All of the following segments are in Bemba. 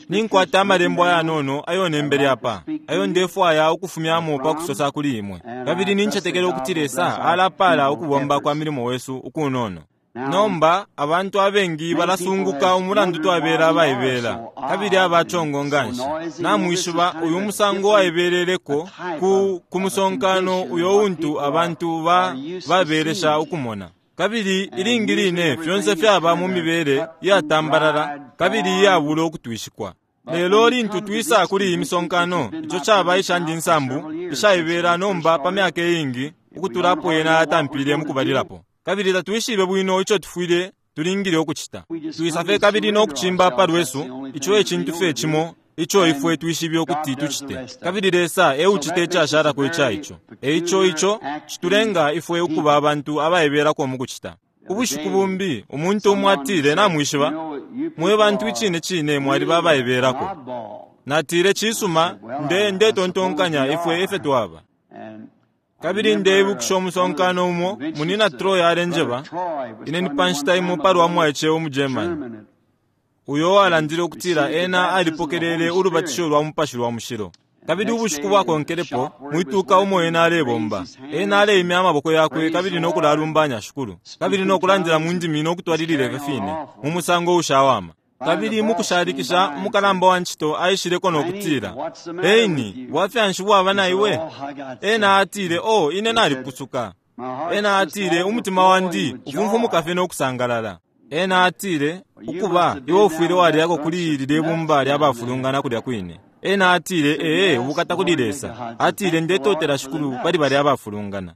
Ninkwata amalembo ayanono ayo nembele apa, ayo ndefwaya ukufumyamo pa kusosa kuli imwe. Kabili nincetekela ukuti Lesa alapala ukubomba kwa milimo wesu ukunono. Nomba, abantu abengi balasunguka umulandu twabela abaibela kabili aba congo nganshi. Namwishiba, uyu musango waibeleleko ku, ku musonkano uyo untu abantu ba, babelesha ukumona. Kabili ilingi line fyonse fyaba mu mibele iyatambalala kabili iyabula ukutwishikwa. Lelo lintu twisa kuli iyi misonkano, ico caba ishandi nsambu ishaibela nomba pa myaka iingi ukutula apo yena yatampile mukubalilapo. Kabili tatwishibe bwino ico tufwile tulingile ukucita. Twisa fye kabili no kucimba pa lwesu, ico e cintu fye cimo ico ifwe twishibe ukuti tucite, kabili Lesa e ucita icashalako ica ico. E ico ico citulenga ifwe ukuba abantu abaibelako mu kucita. Ubushiku bumbi, umuntu umo atile, Namwishiba, mwe bantu icine cine mwaliba abaibelako. Natile, Cisuma, nde, ndetontonkanya ifwe efyo twaba. Kabili ndeibukisha umusonkano umo Munyina Troy alenjeba ine ni pa nshita imo palwa mwaice umu German uyo uwalandile ukutila ena alipokelele ulubatisho lwa Mupashi lwa Mushilo. Kabili ubushiku bwakonkelepo, mwituka umo ena alebomba, ena aleimya amaboko yakwe kabili no kulalumbanya Shikulu, kabili no kulandila mu ndimi no kutwalilila ifyo fine, mu musango ushawama. Kabili mukushalikisha, umukalamba wa ncito aishileko no kutila, Heini, bwafya nshi bwaba na iwe? Ena atile, Oh, ine nalipusuka. Ena atile, Umutima wandi ufumfumuka fye no kusangalala. Ena atile, Ukuba, iwe ufwile waliyako kuli lilye bumba lya bafulungana kulya kwine. Ena atile, Ee, ubukata kuli Lesa. Atile, Ndetotela Shikulu pali balya abafulungana.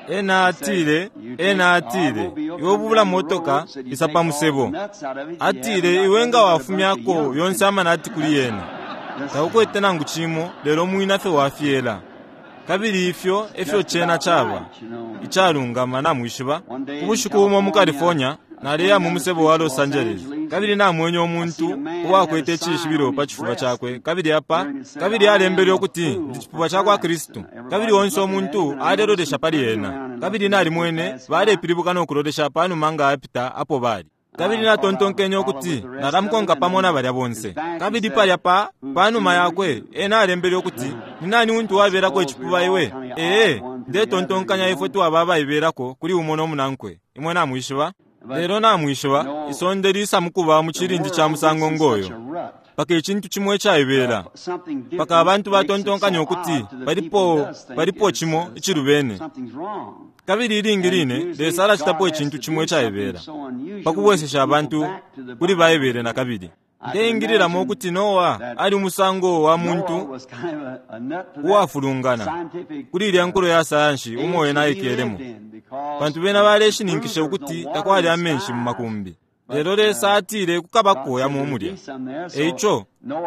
Ena atile, ena atile, Iwe bula motoka, isa pa musebo. Atile, Iwe nga wafumyako yonse amanati kuli yena, taukwete nangu cimo lelo mwina fye wa fyela. Kabili ifyo efyo cena caba, icalungama, namwishiba. Ubushiku bumo mu California, Naleya mu musebo wa Los Angeles, kabili namwene umuntu uwakwete icishibilo pa cifuba cakwe, kabili apa, kabili alembele ukuti, Ndi cipuba ca kwa Kristu. Kabili onse umuntu alelolesha pali ena. Kabili nalimwene balepilibuka no kulolesha panuma nga apita apo bali. Kabili natontonkenye ukuti nalamukonka pamo na balya bonse. Kabili palya pa, panuma yakwe, ena alembele ukuti, Ni nani untu wabelako icipuba iwe? Ee, ndetontonkanya ifwe twaba abaibelako kuli umo no munankwe. Imwe namwishiba? Lelo namwishiba, isonde lisa mukuba mu cilindi ca musango ngoyo, mpaka icintu cimo icaibela, mpaka abantu batontonkanya ukuti palipo, palipo cimo icilubene. Kabili ilingi line Lesa alacitapo icintu cimo icaibela, pa kubwesesha abantu kuli Baibele nakabili. Ndeingililamo ukuti Noa ali umusango wa muntu uwafulungana kuli ilya nkulo ya sayansi umo ena aikelemo, pantu bena baleshininkisha ukuti takwali amenshi mu makumbi. Lelo Lesa atile kukabako yamo mulya. E ico,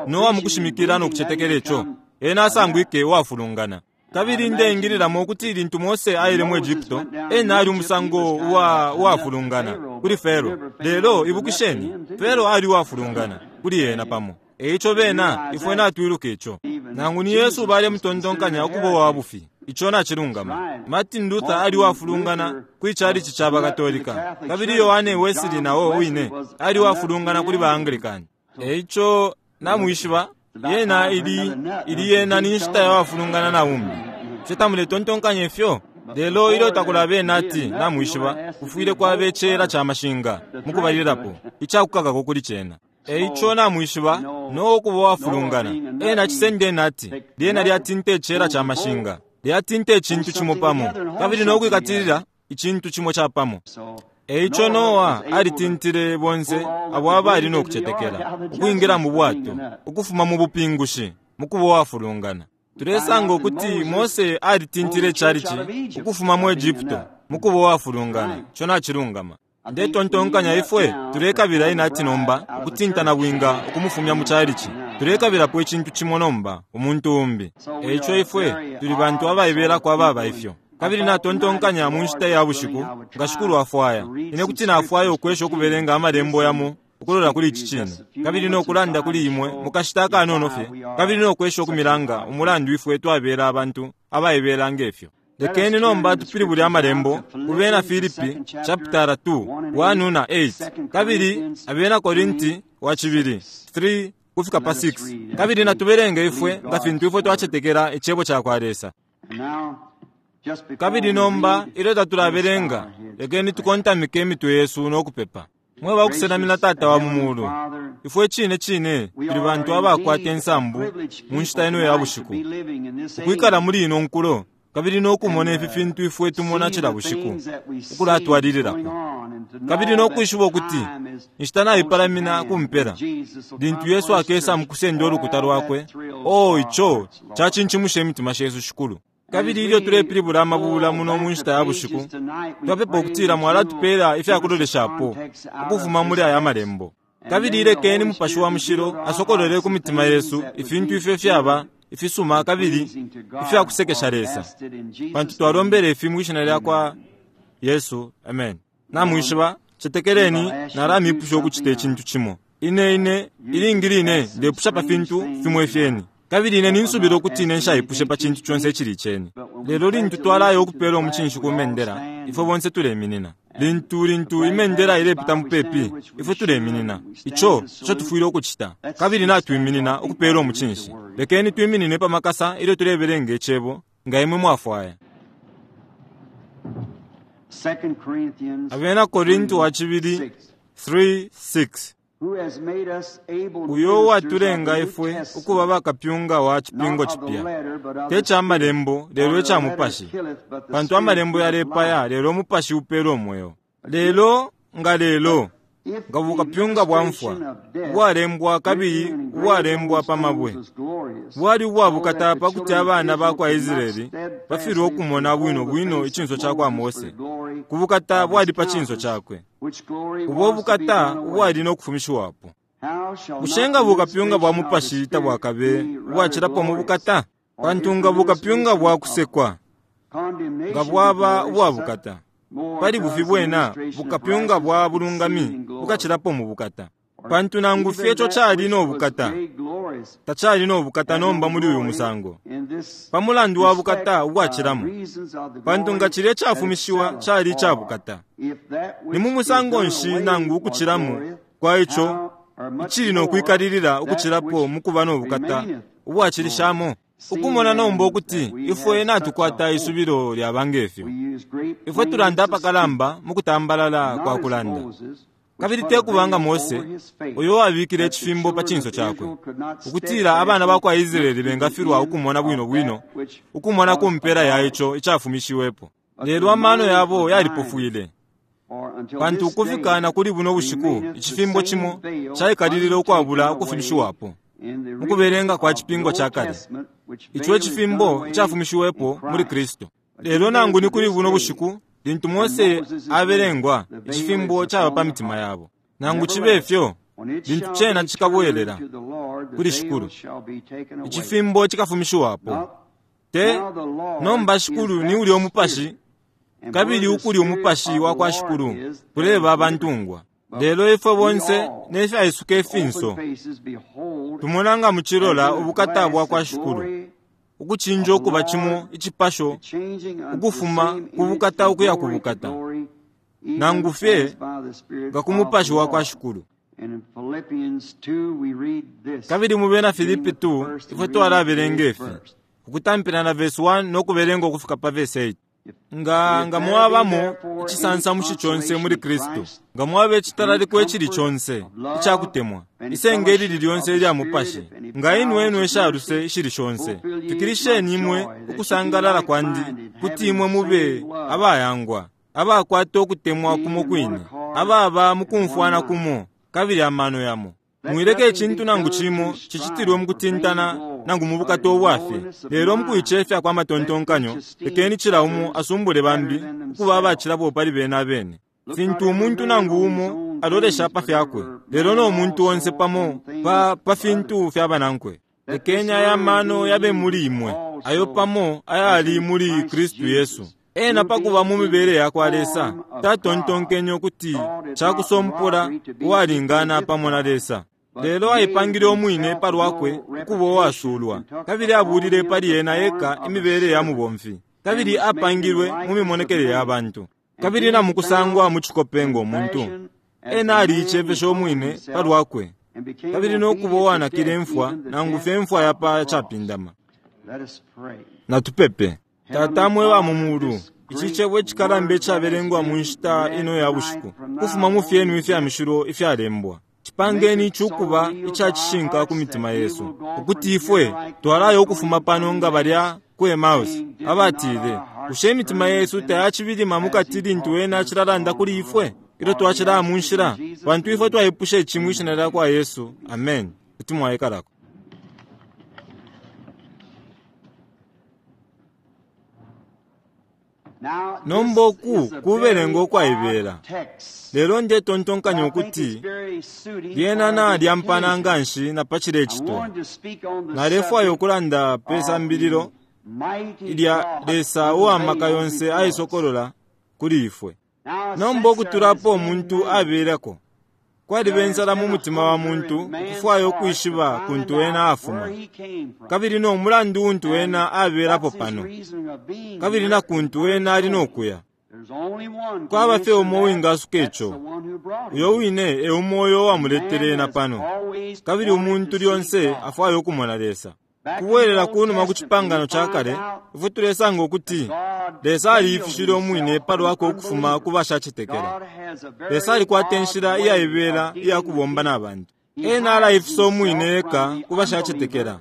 Noa mukushimikila no kucetekela ico, ena asangwike uwafulungana. Kabili ndeingililamo ukuti lintu Mose aile mu Egypto, ena ali umusango uwa, uwafulungana kuli Faro. Lelo, ibukisheni, Faro ali uwafulungana kuli ena pamo. E ico bena, ifwe natwiluka ico. Nangu ni Yesu balemutontonkanya ukuba uwa bufi. Ico nacilungama. Martin Luther ali uwafulungana kwi chalichi ca ba Katolika, kabili Yohane Wesley na o wine ali uwafulungana kuli ba Anglican. E ico, namwishiba, yena ili, ili yena ni nshita ya wafulungana na umbi. Bushe tamuletontonkanya ifyo? Lelo ilyo takulaba inati, namwishiba, kufwile kwaba icela ca mashinga, mukubalilapo, icakukakako kuli cena. E ico namwishiba, no ukuba uwafulungana, ena acisenda inati, lyena lyatinta icela ca mashinga, lyatinta icintu cimo pamo, kabili no kwikatilila icintu cimo capamo. E ico Noa alitintile bonse abo abali no kucetekela ukwingila mu bwato ukufuma mu bupingushi mu kuba uwafulungana. Tulesanga ukuti Mose alitintile icalici ukufuma mu Egupto mu kuba uwafulungana. Ico nacilungama. Ndetontonkanya ifwe tulekabila inati nomba ukutinta nabwinga ukumufumya mu calici. Tulekabilapo icintu cimo nomba, umuntu umbi. E ico ifwe tuli bantu abaibelako ababa ifyo. Kabili natontonkanya mu nshita ya bushiku, nga Shikulu afwaya, ine kuti nafwaya ukwesha ukubelenga Amalembo yamo ukulola kuli ici cine, kabili no kulanda kuli imwe mu kashita akanono fye, kabili no kwesha ukumilanga umulandu ifwe twabela abantu abaibela nge fyo. Lekeni nomba tupilibule Amalembo ku Bena Filipi chapitala 2, 1 na 8, kabili Abena Korinti wa cibili 3 kufika pa 6, kabili natubelenge ifwe nga fintu ifwe twacetekela Icebo cakwa Lesa. Kabili nomba ilyo tatulabelenga, lekeni tukontamike imitwe yesu no kupepa. Mwe bakusenamina Tata wa mu Mulu, ifwe cine cine tuli bantu abakwata insambu mu nshita ino ya bushiku, ukwikala muli ino nkulo kabili no kumona ifi fintu ifwe tumona cila bushiku ukulatwalililapo, kabili no kwishiba ukuti inshita naipalamina ku mpela, lintu Yesu akesa mukusenda ulukuta lwakwe. Oh, ico cacincimusha imitima shesu, Shikulu. Kabili ilyo tulepilibula amabula muno mu nshita ya bushiku, twapepa ukutila mwalatupela ifyakuloleshapo ukufuma muli aya malembo. Kabili ilekeni Mupashi wa Mushilo asokolole ku mitima yesu ifintu ifyo fyaba ifisuma kabili ifyakusekesha Lesa, pantu twalombele ifi mwi shina lya kwa Yesu, amen. Namwishiba, cetekeleni nalamipusha ukucita icintu cimo. Ine ine ilingi line ndepusha pa fintu fimo ifyeni, kabili ine ninsubila ukuti ine nshaipushe pa cintu conse icili iceni. Lelo lintu twalaya ukupela umucinshi ku mendela, ifwe bonse tuleminina. Lintu lintu imendela ilepita mupepi, ifwe tuleminina. Ico ico tufwile ukucita, kabili natwiminina ukupela umucinshi. Lekeni twiminine pa makasa ilyo tulebelenga Icebo, nga imwe mwafwaya. Abena Korinti wa cibili 3:6. Uyo uwatulenga ifwe ukuba bakapyunga wa cipingo cipya, te ca malembo lelo ica mupashi, pantu amalembo yalepaya lelo umupashi upela umweo. Lelo nga lelo nga bukapyunga bwa mfwa ubwalembwa kabili ubwalembwa pa mabwe bwali ubwabukata, pa kuti abana ba kwa Israeli bafilwe ukumona bwino bwino icinso ca kwa Mose ku bukata bwali pa cinso cakwe, ubo bukata ubwali no kufumishiwapo. Bushe nga bukapyunga bwa mupashi tabwakabe ubwacilapo mu bukata? Pantu nga bukapyunga bwa kusekwa nga bwaba ubwabukata, pali bufi bwena bukapyunga bwa bulungami bukacilapo mu bukata. Pantu nangu fye ico cali no bukata, tacali no bukata nomba muli uyu musango, pa mulandu wa bukata ubwacilamo. Pantu nga cilya icafumishiwa cali ica bukata, ni mu musango nshi nangu ukucilamo kwa ico icili no kwikalilila ukucilapo mu kuba no bukata ubwacilishamo? Ukumona nomba ukuti ifwe natukwata isubilo lyaba ngefyo, ifwe tulanda apakalamba mu kutambalala kwa kulanda. Kabili te kubanga Mose, uyo wabikile icifimbo pa cinso cakwe, ukutila abana ba kwa Israeli bengafilwa ukumona bwino bwino, ukumona ku mpela ya ico icafumishiwepo. Lelo amano yabo yalipofwile, pantu ukufika na kuli buno bushiku icifimbo cimo caikalilile ukwabula ukufumishiwapo mu kubelenga kwa cipingo ca kale, ico icifimbo icafumishiwepo muli Kristu. Lelo nangu ni kuli buno bushiku, lintu Mose abelengwa, icifimbo caba pa mitima yabo. Nangu cibe fyo, lintu cena cikabwelela kuli Shikulu, icifimbo cikafumishiwapo. Te nomba Shikulu ni ulya umupashi, kabili ukuli umupashi wa kwa Shikulu kuleba abantungwa. Lelo ifwe bonse nefyaisuka ifinso tumona nga mucilola ubukata bwa kwa Shikulu, ukucinja ukuba cimo icipasho ukufuma ku bukata ukuya ku bukata, nangu fye nga ku mupashi wa kwa Shikulu. Kabili mu Bena Filipi 2 ifwe twalabelenga ifi, ukutampila na verse 1 no kubelenga ukufika pa verse 8. Nga nga mwabamo icisansamushi conse muli Kristu, nga mwaba icitalaliko icili conse icakutemwa, isenge ilili lyonse ilya mupashi, nga inwenwe ishaluse ishili shonse, fikilisheni imwe ukusangalala kwandi, kuti imwe mube abayangwa, abakwata ukutemwa kumo kwine, ababa mukumfwana kumo kabili amano yamo. Mwileke icintu nangu cimo cicitilwe mukutintana nangu mu bukata ubwafye, lelo mukuicefya kwa matontonkanyo, lekeni cila umo asumbule bambi ukuba abacilapo pali bena abene. Fintu umuntu nangu umo alolesha pa fyakwe, lelo no muntu onse pamo pa, pa fintu fya banankwe. Lekeni aya mano yabe muli imwe, ayo pamo ayali muli Kristu Yesu. Ena pakuba mu mibele ya kwa Lesa, tatontonkenye ukuti cakusompola uwalingana pamo na Lesa. Lelo aipangile umwine pa lwakwe ukuba uwasulwa, kabili abulile pali ena eka imibele ya mubomfi. Kabili apangilwe mu mimonekele ya bantu. Kabili na mukusangwa mu cikope ngo muntu, ena aliicefeshe umwine pa lwakwe, kabili no kuba uwanakile imfwa, nangu fye imfwa ya pa capindama. Natupepe. Tata mwe wa mu mulu, ici cebo icikalamba icabelengwa mu nshita ino ya bushiku, kufuma mu fyenu ifya mishilo ifyalembwa, cipangeni ici ukuba ica cishinka ku mitima yesu, ukuti ifwe twalaya ukufuma pano nga balya ku Emmaus, abatile, Bushe imitima yesu tayacibilima mukati lintu ena acilalanda kuli ifwe ilyo twacilaya mu nshila? Pantu ifwe twaipusha ici mwi shina lya kwa Yesu. Amen. Kuti mwaikalako. Nomba uku kubelenga ukwaibela, lelo ndetontonkanya ukuti lyena nalyampana nganshi na pa cilecitwa. Nalefwaya ukulanda pe sambililo ilya Lesa uwa maka yonse aisokolola kuli ifwe. Nomba ukutulapo umuntu abelako, kwaliba insala mu mutima wa muntu ukufwaya ukwishiba kuntu ena afuma, kabili no mulandu untu ena abelapo pano, kabili na kuntu ena ali no kuya. Kwaba fye umo uwingasuka ico, uyo wine e umo uyo uwamuletele ena pano, kabili umuntu lyonse afwaya ukumona Lesa. Kubwelela kunuma ku cipangano ca kale, ifwe tulesanga ukuti Lesa aliifishile umwine palwakwe ukufuma ku bashacetekela. Lesa alikwata inshila iyaibela iya kubomba na bantu. Ena alaifisa umwine eka ku bashacetekela,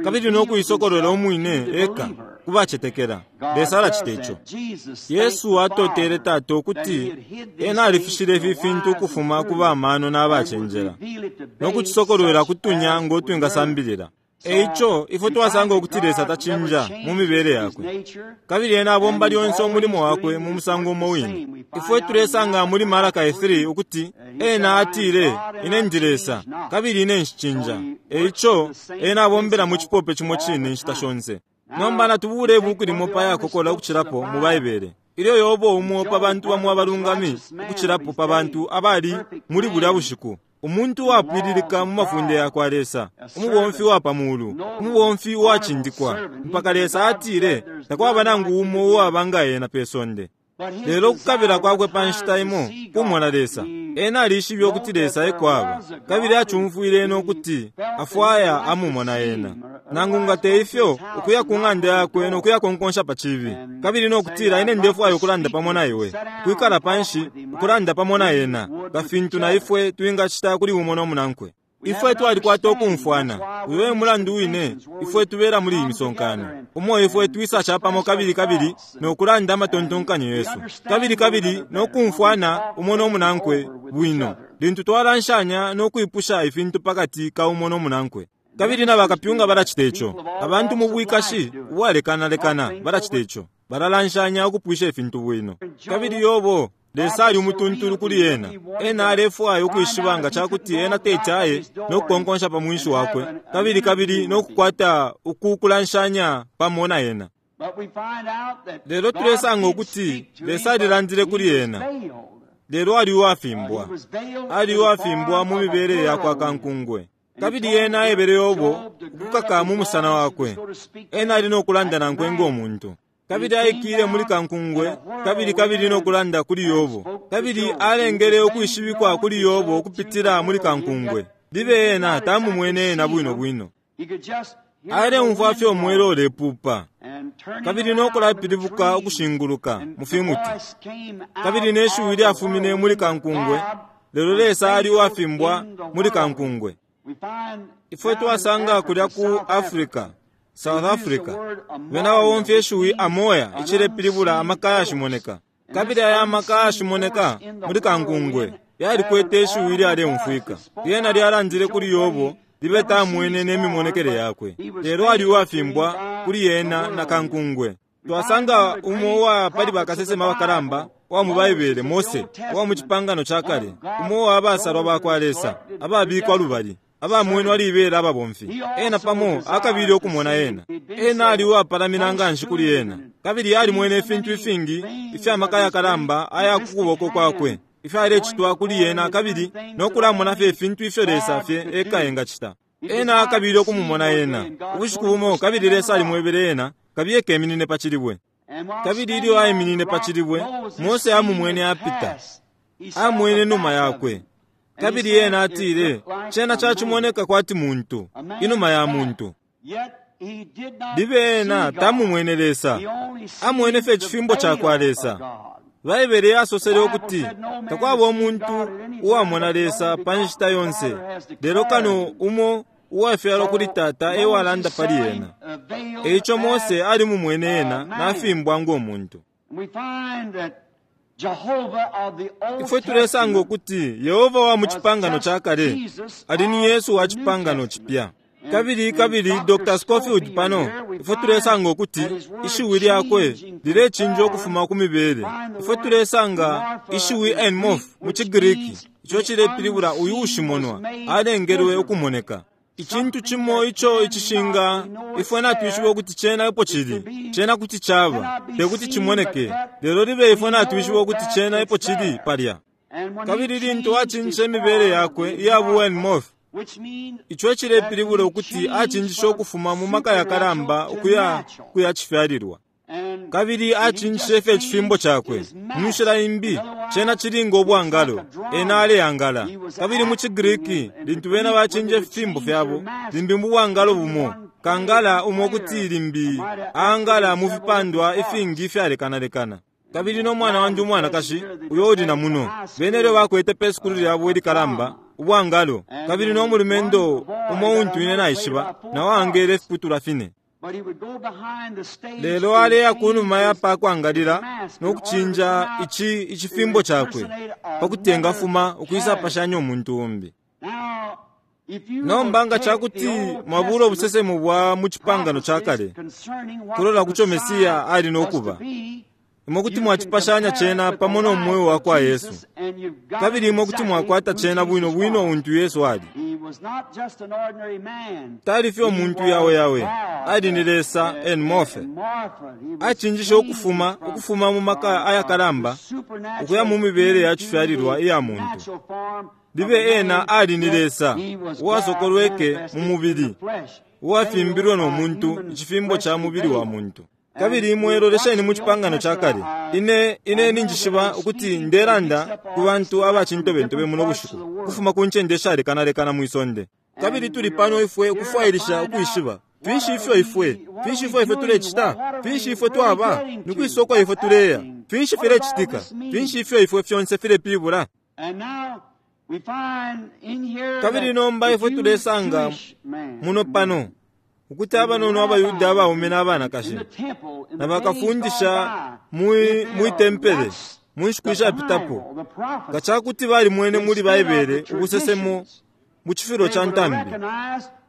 kabili no kuisokolola umwine eka ku bacetekela. Lesa alacita ico. Yesu atotele Tata ukuti ena alifishile ifi fintu ukufuma ku bamano na bacenjela, no kucisokolwela kutunya ngo twingasambilila. Eico ifwe twasanga ukuti Lesa tacinja mu mibele yakwe, kabili ena abomba lyonse umulimo wakwe mu musango umo wine. Ifwe tulesanga muli Malaki 3 ukuti ena atile, Ine ndi Lesa, kabili ine nshicinja. Eico ena abombela mu cipope cimo cine inshita shonse. Nomba natubule ibuku limo pa yakokola ukucilapo mu Baibele. Ilyo Yobo, umo pa bantu bamo abalungami ukucilapo pa bantu abali muli bulya bushiku, umuntu uwapwililika mu mafunde ya kwa Lesa, umubomfi wa pa mulu, umubomfi uwacindikwa, mpaka Lesa atile takwaba nangu umo uwaba nga ena pe sonde. Lelo ukukabila kwakwe pa nshita imo kumona Lesa, ena alishibe ukuti Lesa eko aba, kabili acumfwile ena ukuti afwaya amumona ena. Nangu nga te ifyo, ukuya ku ng'anda yakwe no kuya konkonsha pa cibi, kabili no kutila, Ine ndefwaya ukulanda pamo na iwe, ukwikala panshi ukulanda pamo na ena, nga fintu na ifwe twingacita kuli umo no munankwe. Ifwe twalikwata ukumfwana. Uyo e mulandu wine ifwe tubela muli iyi misonkano, umo ifwe twisa capamo kabili kabili no kulanda amatontonkanyo yesu, kabili kabili no kumfwana umo no munankwe bwino, lintu twalanshanya no kwipusha ifintu pakati ka umo no munankwe. Kabili na bakapyunga balacita ico. Abantu mu bwikashi ubwalekanalekana balacita ico. Balalanshanya ukupwisha ifintu bwino. Kabili Yobo, Lesa ali umutuntulu kuli ena. Ena alefwaya ukwishiba nga ca kuti ena teti aye no kukonkonsha pa mwinshi wakwe, kabili kabili no kukwata uku kulanshanya pamo na ena. Lelo tulesanga ukuti Lesa alilandile kuli ena, lelo ali uwafimbwa. Ali uwafimbwa mu mibele ya kwa kankungwe. Kabili ena aebele Yobo ukukaka mu musana wakwe. Ena ali no kulanda nankwe ngo muntu. Kabili aikile muli kankungwe, kabili kabili no kulanda kuli Yobo. Kabili alengele ukwishibikwa kuli Yobo ukupitila muli kankungwe. Libe ena tamumwene ena bwino bwino. Aleumfwa fye umwela ulepupa, kabili no kulapilibuka ukushinguluka mu fimuti. Kabili ne shiwi lyafumine muli kankungwe, lelo Lesa ali uwafimbwa muli kankungwe. Ifwe twasanga kulya ku Africa, South Africa, bena babomfya ishiwi amoya icilepilibula amaka yashimoneka. Kabili aya maka yashimoneka muli kankungwe yalikwete ishiwi ilyaleumfwika. Lyena lyalandile kuli Yobo, libe tamwene ne mimonekele yakwe, lelo ali uwafimbwa kuli yena na kankungwe. Twasanga umo uwa pali bakasesema bakalamba wa mu Baibele, Mose, uwa mu cipangano ca kale, umo uwa basalwa ba kwa Lesa ababikwa lubali, abamwenwa libela ababomfi. Ena pamo akabile ukumona ena. Ena ali uwapalamina nganshi kuli ena, kabili alimwene ifintu ifingi ifya maka yakalamba aya ku kuboko kwakwe ifyalecitwa kuli ena, kabili no kulamona fye ifintu ifyo Lesa fye eka engacita. Ena akabile ukumumona ena ubushiku bumo, kabili Lesa alimwebele ena, kabiye keminine pa cilibwe. Kabili ilyo aiminine pa cilibwe, Mose amumwene apita, amwene numa yakwe. Kabili ena atile, Cena cacimoneka kwati muntu, inuma ya muntu. Libe ena tamumwene Lesa, amwene fye icifimbo cakwa Lesa. Baibele yasosele ukuti takwaba umuntu uwamona Lesa pa nshita yonse, lelo kano umo uwafyalwa kuli Tata e walanda pali ena. E ico Mose alimumwene ena nafimbwa ngo muntu. Ifwe tulesanga ukuti Yehova wa mu Cipangano ca Kale ali ni Yesu wa Cipangano Cipya. Kabili, kabili Dr. Scofield pano, ifwe tulesanga ukuti ishiwi lyakwe lilecinja ukufuma ku mibele. Ifwe tulesanga ishiwi enmorph mu ciGriki, ico cilepilibula uyu ushimonwa, alengelwe ukumoneka. Icintu cimo ico icishinga, ifwe natwishiba ukuti cena epo cili, cena kuti caba, te kuti cimoneke, lelo libe ifwe natwishiba ukuti cena epo cili palya. Kabili lintu acinjishe imibele yakwe iya bu enmorph, ico cilepilibula ukuti acinjishe ukufuma mu maka yakalamba ukuya kuya cifyalilwa. Kabili acinjishe fye icifimbo cakwe. Mu nshila imbi, cena cili ngo bwangalo, ena aleangala. Kabili mu ciGriki, lintu bena bacinja ififimbo fyabo, limbi mu bwangalo bumo, kangala umo kuti limbi aangala mu fipandwa ifingi ifyalekanalekana. Kabili no mwana wandi umwanakashi, uyo uli na muno, bena ilyo bakwete pe sukulu lyabo ilikalamba, ubwangalo, kabili no mulumendo umo untu ine naishiba, nao aangele ifiputulwa fine. Lelo aleya kunuma ya pa kwangalila no kucinja ici icifimbo cakwe pa kuti engafuma ukwisapashanya umuntu umbi. Nomba nga ca kuti mwabula ubusesemo bwa mu Cipangano ca Kale kulola kuco Mesiya ali no kuba, imwe kuti mwacipashanya cena pamo no mweo wa kwa Yesu, kabili imwe kuti mwakwata cena bwino bwino untu Yesu ali. Tali fye umuntu yawe yawe, ali ni Lesa en morphe. Acinjishe ukufuma, ukufuma mu maka ayakalamba ukuya mu mibele ya cifyalilwa iya muntu. Libe ena ali ni Lesa uwasokolweke mu mubili, uwafimbilwe no muntu, icifimbo ca mubili wa muntu. Kabili imwe lolesheni mu Cipangano ca Kale. Ine, ine ninjishiba ukuti ndelanda ku bantu aba cintobentobe muno bushiku, ukufuma ku ncende ishalekanalekana mwi sonde. Kabili tuli pano ifwe ukufwailisha ukwishiba finshi ifyo ifwe, finshi ifyo ifwe tulecita, finshi ifwe twaba, ni kwisa uko ifwe tuleya, finshi filecitika, finshi ifyo ifwe fyonse filepilibula. Kabili nomba ifwe tulesanga muno pano ukuti abanono abaYuda abaume na abanakashi na bakafundisha mwi, mwi tempele mu nshiku ishapitapo, nga ca kuti balimwene muli Baibele ubusesemo mu cifulo ca ntambi,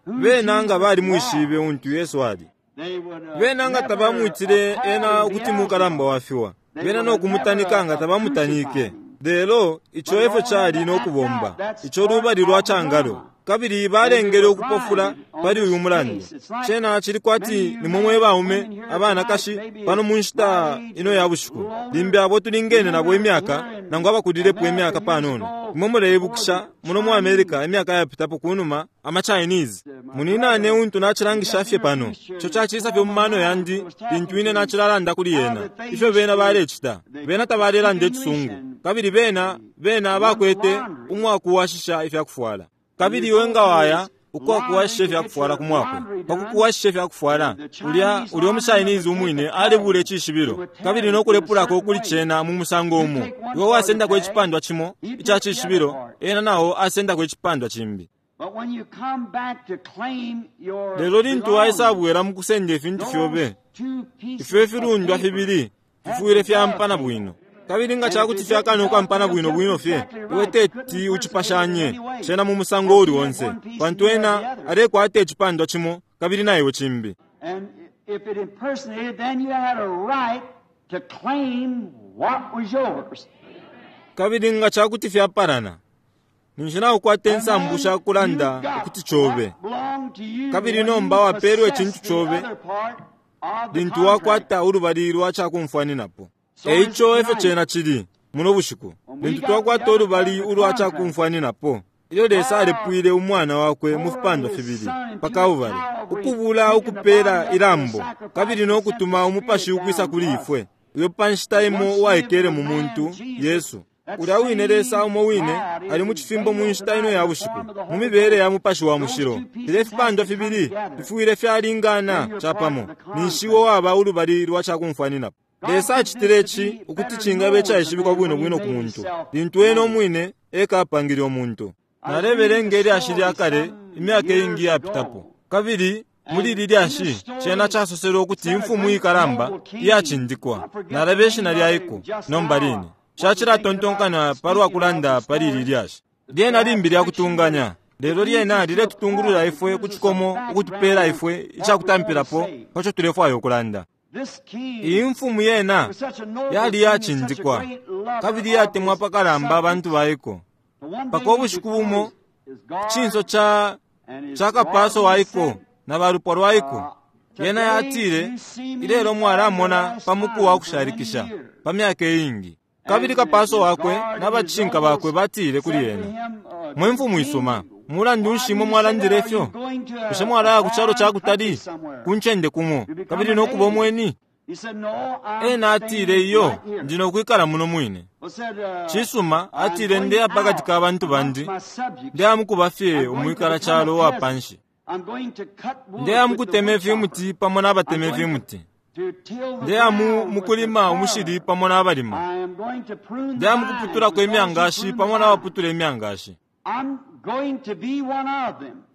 bena nga balimwishibe untu Yesu ali. Bena nga tabamwitile ena ukuti mukalamba wa fiwa, bena no kumutanika nga tabamutanike. Lelo ico efyo cali no kubomba, ico lubali lwa cangalo. Kabili balengele ukupofula pali uyu mulandu. Cena cili kwati ni mwe baume abanakashi pano mu nshita ino ya bushiku, limbi abo tulingene nabo imyaka nangu abakulilepo imyaka panono. Imwe muleibukisha muno mu America imyaka yapitapo kunuma ama Chinese. Muninane untu nacilangisha fye pano. Ico cacisa fye mu mano yandi lintu ine nacilalanda kuli yena. Ifyo bena balecita. Bena tabalelanda icisungu. Kabili bena, bena bakwete umwakuwashisha ifyakufwala. Kabili iwe nga waya ukwakuwashisha ifyakufwala ku mwakwe, pa kukuwashisha ifyakufwala, ulya ulya umuChinese umwine alebula icishibilo kabili no kulepulako kuli cena mu musango umo. Iwe wasendako icipandwa cimo ica cishibilo, ena nao asendako icipandwa cimbi. Lelo lintu waisabwela mu kusenda ifintu fyobe, ifyo ifilundwa fibili fifwile fyampana bwino. Kabili nga cakuti fyakana ukwampana bwino bwino fye, iwe teti ucipashanye cena mu musango uli onse, pantu ena alekwata icipandwa cimo kabili na iwe cimbi. Kabili nga cakuti fyapalana, ninshi naukwata insambu sha kulanda ukuti cobe. Kabili nomba wapelwe icintu cobe lintu wakwata ulubali lwa cakumfwaninapo. Eico efyo cena cili muno bushiku, lintu twakwata ulubali ulwa cakumfwaninapo. Ilyo Lesa alepwile Umwana Wakwe mu fipandwa fibili pa Kalbale, ukubula ukupela ilambo, kabili no kutuma Umupashi ukwisa kuli ifwe, uyo pa nshita imo uwaikele mu muntu, Yesu. Ulya wine Lesa umo wine ali mu cifimbo mu nshita ino ya bushiku, mu mibele ya Mupashi wa Mushilo. Filya ifipandwa fibili fifwile fyalingana capamo, ninshi iwe waba ulubali lwa cakumfwaninapo. Lesa acitile ici ukuti cingaba icaishibikwa bwino bwino ku muntu, lintu Ena umwine eka apangile umuntu. Nalebelenga ilyashi lya kale imyaka iingi iyapitapo, kabili muli ili lyashi cena casoselwe ukuti imfumu ikalamba iyacindikwa, nalaba ishina lya iko nomba line, Nshacilatontonkanya palwa kulanda pali ili lyashi. Lyena limbi lya kutunganya, lelo lyena liletutungulula ifwe ku cikomo ukutupela ifwe icakutampilapo paco tulefwaya ukulanda. Iyi mfumu yena yali iyacindikwa kabili iyatemwa apakalamba abantu baiko, mpaka ubushiku bumo ku cinso ca, ca kapaso waiko na balupwa lwaiko, yena yatile, Ilelo mwalamona pa muku wa kushalikisha pa myaka iingi. Kabili kapaso wakwe na bacishinka bakwe batile kuli ena, Mwe mfumu isuma, mulandu nshi imwe mwalandile ifyo? Bushe mwalaya ku calo ca kutali, ku ncende kumo, kabili no kuba umweni? Ena atile, Iyo, ndi no kwikala muno mwine. Cisuma, atile, Ndeya pakati ka bantu bandi, ndeya mukuba fye umwikala calo uwa panshi. Ndeya mukutema ifimuti pamo na batema ifimuti. Ndeya mu, mukulima umushili pamo na balima. Ndeya mukuputulako imyangashi pamo na baputula imyangashi.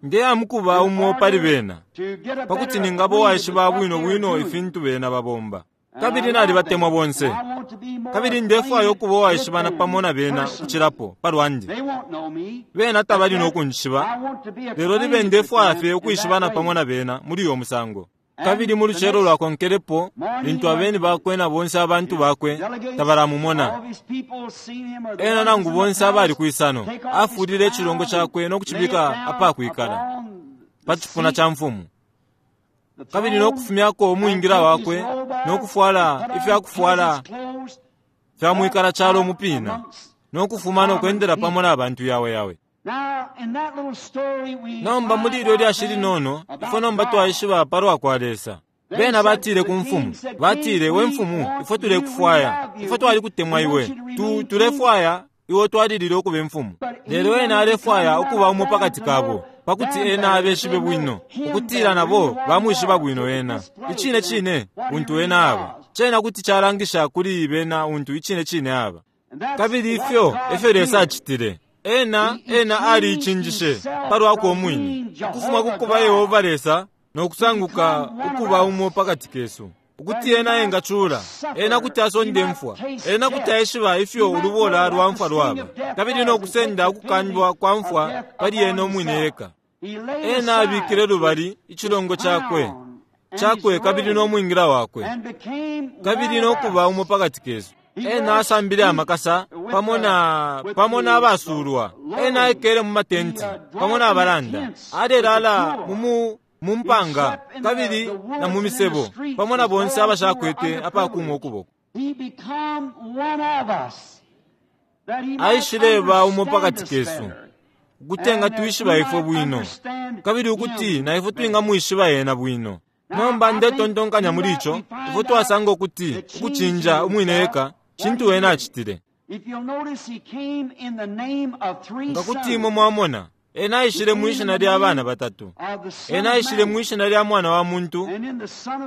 Ndeya mukuba umo pali bena, pakuti ningaba uwaishiba bwino bwino ifintu bena babomba. Kabili nalibatemwa bonse. Kabili ndefwaya ukuba uwaishibana pamo na bena ukucilapo, palwandi. Bena tabali no kunjishiba, lelo libe ndefwaya fye ukwishibana pamo na bena muli uyo musango. Kabili mu lucelo lwakonkelepo, lintu abeni bakwe na bonse abantu bakwe tabalamumona ena nangu bonse abali kwisano, afulile icilongo cakwe no kucibika apakwikala pa cipuna ca mfumu, kabili no kufumyako umwingila wakwe no kufwala ifya kufwala fya mwikala calo umupina, no kufuma no kwendela pamo na bantu yawe yawe. Nomba muli ilyo lyashi linono, ifwe nomba twaishiba palwa kwa Lesa. Bena batile ku mfumu, batile, We mfumu, ifwe tulekufwaya, ifwe twalikutemwa iwe, tu, tulefwaya iwe utwalilile ukuba imfumu. Lelo ena alefwaya ukuba umo pakati kabo, pakuti ena abeshibe bwino, ukutila nabo bamwishiba bwino ena, icine cine untu ena aba. Cena kuti calangisha kuli bena untu icine cine aba. Kabili ifyo efyo Lesa acitile. Ena, Ena aliicinjishe palwakwe umwine, ukufuma ku kuba Yehova Lesa no kusanguka ukuba umo pakati kesu, ukuti Ena engacula, Ena kuti asonda imfwa, Ena kuti aishiba ifyo ulubola lwa mfwa lwaba, kabili no kusenda ukukandwa kwa mfwa pali Ena umwine eka. Ena abikile lubali icilongo Cakwe, Cakwe kabili no mwingila Wakwe, kabili no kuba umo pakati kesu. Ena asambile amakasa pamo na, pamo na basulwa. Ena aikele mu matenti pamo na balanda. Alelala mu, mu mpanga kabili na mu misebo pamo na bonse abashakwete apakuma ukuboko. Aishileba umo pakati kesu, ukuti engatwishiba ifwe bwino, kabili ukuti na ifwe twingamwishiba ena bwino. Nomba ndetontonkanya muli ico, ifwe twasanga ukuti ukucinja umwine eka cintu ena acitile. Nga kuti imwe mwamona, ena aishile mwi shina lya bana batatu. Ena aishile mwi shina lya Mwana wa muntu,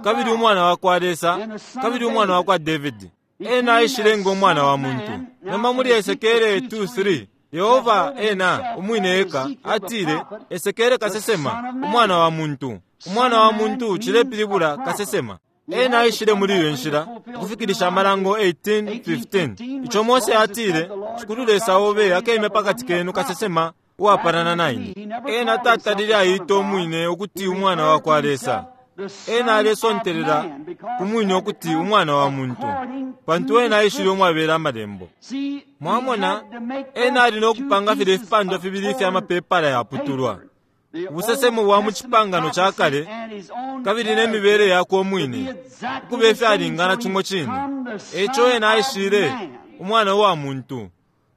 kabili Umwana wa kwa Lesa, kabili Umwana wa kwa Davidi. Ena aishile ngo Mwana wa muntu. Nomba muli Esekele 2:3, Yehova ena umwine eka atile, Esekele kasesema, Umwana wa muntu. Umwana wa muntu cilepilibula kasesema. Ena aishile muli iyo nshila ukufikilisha Amalango 18:15, ico Mose atile, Shikulu Lesa obe akemya pakati kenu kasesema uwapalana na ine. Ena tatalile aita umwine ukuti Umwana wa kwa Lesa. Ena alesontelela ku mwine ukuti Umwana wa muntu, pantu ena aishile umwabela Amalembo. Mwamona, ena ali no kupanga filya ifipandwa fibili ifya mapepala yaputulwa, ubusesemo bwa mu Cipangano ca Kale kabili ne mibele yakwe umwine, ukuba ifyalingana cimo cine. E ico ena aishile, Umwana wa muntu,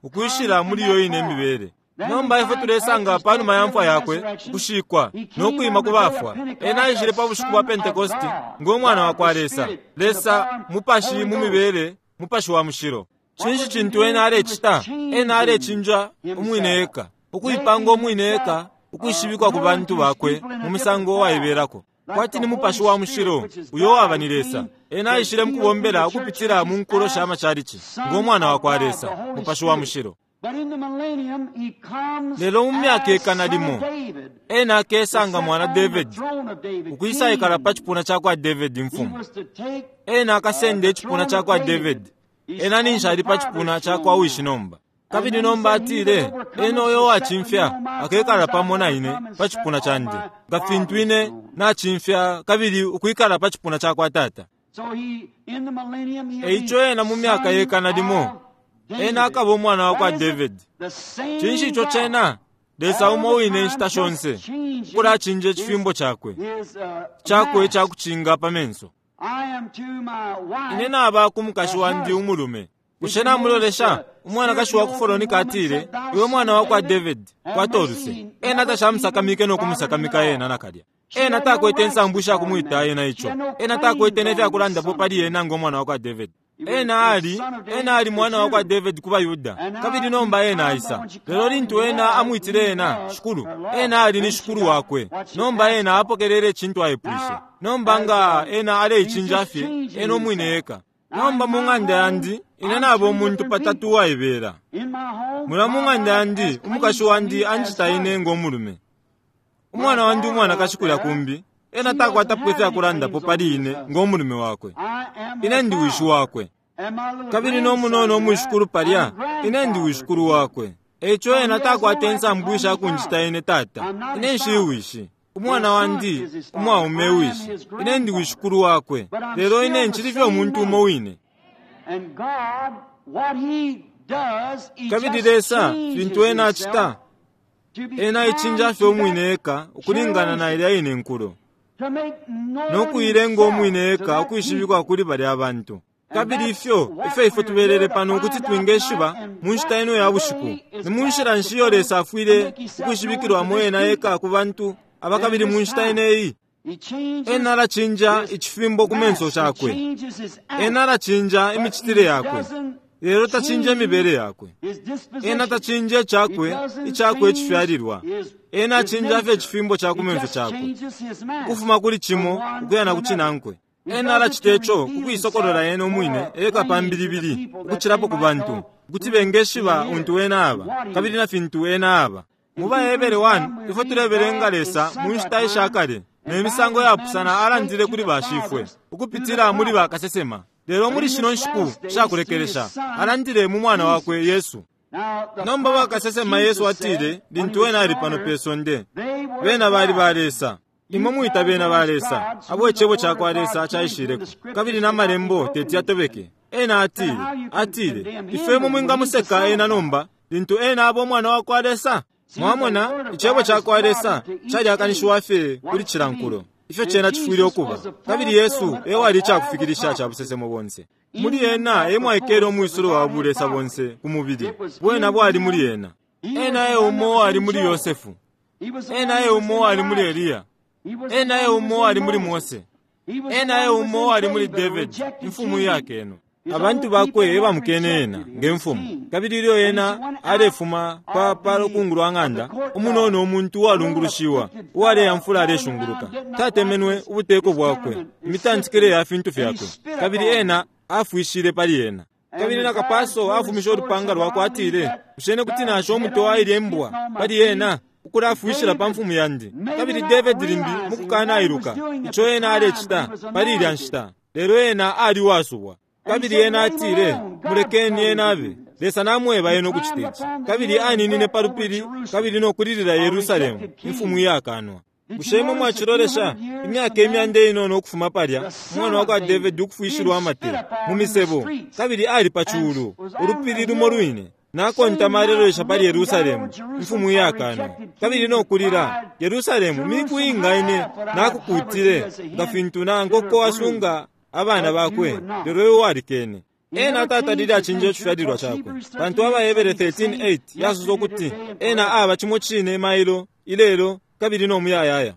ukwishila muli iyo ine mibele. Nomba ifwe tulesanga panuma ya mfwa yakwe, ukushikwa, no kwima ku bafwa, ena aishile pa bushiku bwa Pentekoste ngo Mwana wa kwa Lesa, Lesa Mupashi mu mibele, Mupashi wa Mushilo. Cinshi cintu ena alecita? Ena alecinja umwine eka, ukuipanga umwine eka ukwishibikwa ku bantu bakwe mu musango uwaibelako, kwati ni Mupashi wa Mushilo uyo waba ni Lesa. Ena aishile mukubombela ukupitila mu nkulo sha macalici ngo Mwana wa kwa Lesa, Mupashi wa Mushilo. Lelo mu myaka ikana limo, ena akesanga mwana Davidi, ukwisaikala pa cipuna ca kwa Davidi imfumu. Ena akasenda icipuna ca kwa Davidi. Ena ninshi ali pa cipuna ca kwa wishi nomba. Kabili nomba atile, Ena uyo uwacimfya akekala pamo na ine pa cipuna candi, nga fintu ine nacimfya kabili ukwikala pa cipuna ca kwa Tata. E ico ena mu myaka yekana limo, ena akaba umwana wa kwa Davidi. Cinshi ico cena? Lesa umo wine inshita shonse, ukulacinja icifimbo cakwe, cakwe icakucinga pa menso. Ine naba ku mukashi wandi umulume. Bushe namulolesha? Umwanakashi wa ku Folonika atile, Iwe mwana wa kwa David, kwata uluse. Ena tashamusakamike no kumusakamika ena nakalya. Ena takwete insambu isha kumwita ena ico. Ena takwete ne fya kulandapo pali ena ngo mwana wa kwa David. Ena ali, ena ali mwana wa kwa David ku baYuda, kabili nomba ena aisa. Lelo lintu ena amwitile ena, Shikulu, ena ali ni Shikulu wakwe. Nomba ena apokelele icintu aipwishe. Nomba nga ena aleicinja fye, ena umwine eka. Nomba mu ng'anda yandi, ine naba umuntu patatu uwaibela. Mulya mu ng'anda yandi, umukashi wandi anjita ine ngo mulume. Umwana wandi umwanakashi kulya kumbi, ena takwatapo ifyakulandapo pali ine ngo mulume wakwe. Ine ndi wishi wakwe. Kabili no munono umwishikulu palya, ine ndi wishikulu wakwe. Eico ena takwata insambu isha kunjita ine tata. Ine nshili wishi. Umwana wandi umwaume wishi. Ine ndi wishikulu wakwe. Lelo ine ncili fye umuntu umo wine. Kabili Lesa, fintu Ena acita, Ena aicinja fye umwine eka ukulingana na ilya ine nkulo, no kuilenga umwine eka ukwishibikwa kuli balya bantu. Kabili ifyo efyo ifwe tubelele pano ukuti twingeshiba mu nshita ino ya bushiku, ni mu nshila nshi iyo Lesa afwile ukwishibikilwamo ena eka ku bantu aba kabili mu nshita ine iyi. Ena alacinja icifimbo ku menso cakwe. Ena alacinja imicitile yakwe. Lelo tacinja imibele yakwe. Ena tacinja icakwe, icakwe icifyalilwa. Ena acinja fye icifimbo ca ku menso cakwe, ukufuma kuli cimo ukuya na ku cinankwe. Ena alacita ico ku kuisokolola ena umwine eka pa mbilibili ukucilapo ku bantu, ukuti bengeshiba untu ena aba kabili na fintu ena aba. Mu baHebere 1, ifwe tulebelenga Lesa mu nshita isha kale ne misango yapusana alandile kuli bashifwe ukupitila muli bakasesema. Lelo muli shino nshiku sha kulekelesha, alandile mu Mwana wakwe Yesu. Nomba bakasesema Yesu atile lintu ena ali pano pe sonde, bena bali ba Lesa. Imwe mwita bena ba Lesa, abo Icebo cakwa Lesa caishileko, kabili na Malembo teti yatobeke. Ena atile, atile, Ifwe imwe mwingamuseka ena nomba, lintu ena aba Umwana wakwa Lesa? Mwamona, Icebo cakwa Lesa calyakanishiwa fye kuli cila nkulo, ifyo cena cifwile ukuba. Kabili Yesu e wali icakufikilisha ca busesemo bonse. Muli Ena e mwaikele umwisulo wa bulesa bonse ku mubili. Bwena bwali muli Ena. Ena e umo uwali muli Yosefu. Ena e umo uwali muli Eliya. Ena e umo uwali muli Mose. Ena e umo uwali muli Davidi, imfumu iyakeno. Abantu bakwe e bamukene ena nge mfumu. Kabili ilyo ena alefuma pa, pa lukungu lwa ng'anda, umunono umuntu uwalungulushiwa, uwaleyamfula aleshunguluka, tatemenwe ubuteko bwakwe, imitantikile ya fintu fyakwe, kabili ena afwishile pali ena. Kabili na kapaso afumishe ulupanga lwakwe atile, Bushe ine kuti nasha umutwe wa ilye mbwa pali ena, ukulafwishila pa mfumu yandi? Kabili Davidi limbi mukukanailuka ico ena alecita pali ilya nshita, lelo ena ali uwasubwa. Kabili ena atile, Mulekeni ena abe. Lesa namweba ena ukucita ici. Kabili aninine pa lupili kabili no kulilila Yerusalemu, imfumu iyakanwa. Bushe imwe mwacilolesha? Imyaka imyanda inono ukufuma palya, umwana wa kwa Davidi ukufwishilwa amate mu misebo, kabili ali pa culu, ulupili lumo lwine, nakontama alelolesha pali Yerusalemu, imfumu iyakanwa, kabili no kulila, Yerusalemu, miku inga ine nakukuutile, nga fintu na nkoko asunga abana bakwe, lelo iwe walikene. Ena tatalile acinja icifyalilwa cakwe, pantu AbaHebere 13:8 yasosa ukuti ena aba cimo cine mailo, ilelo, kabili no muyayaya.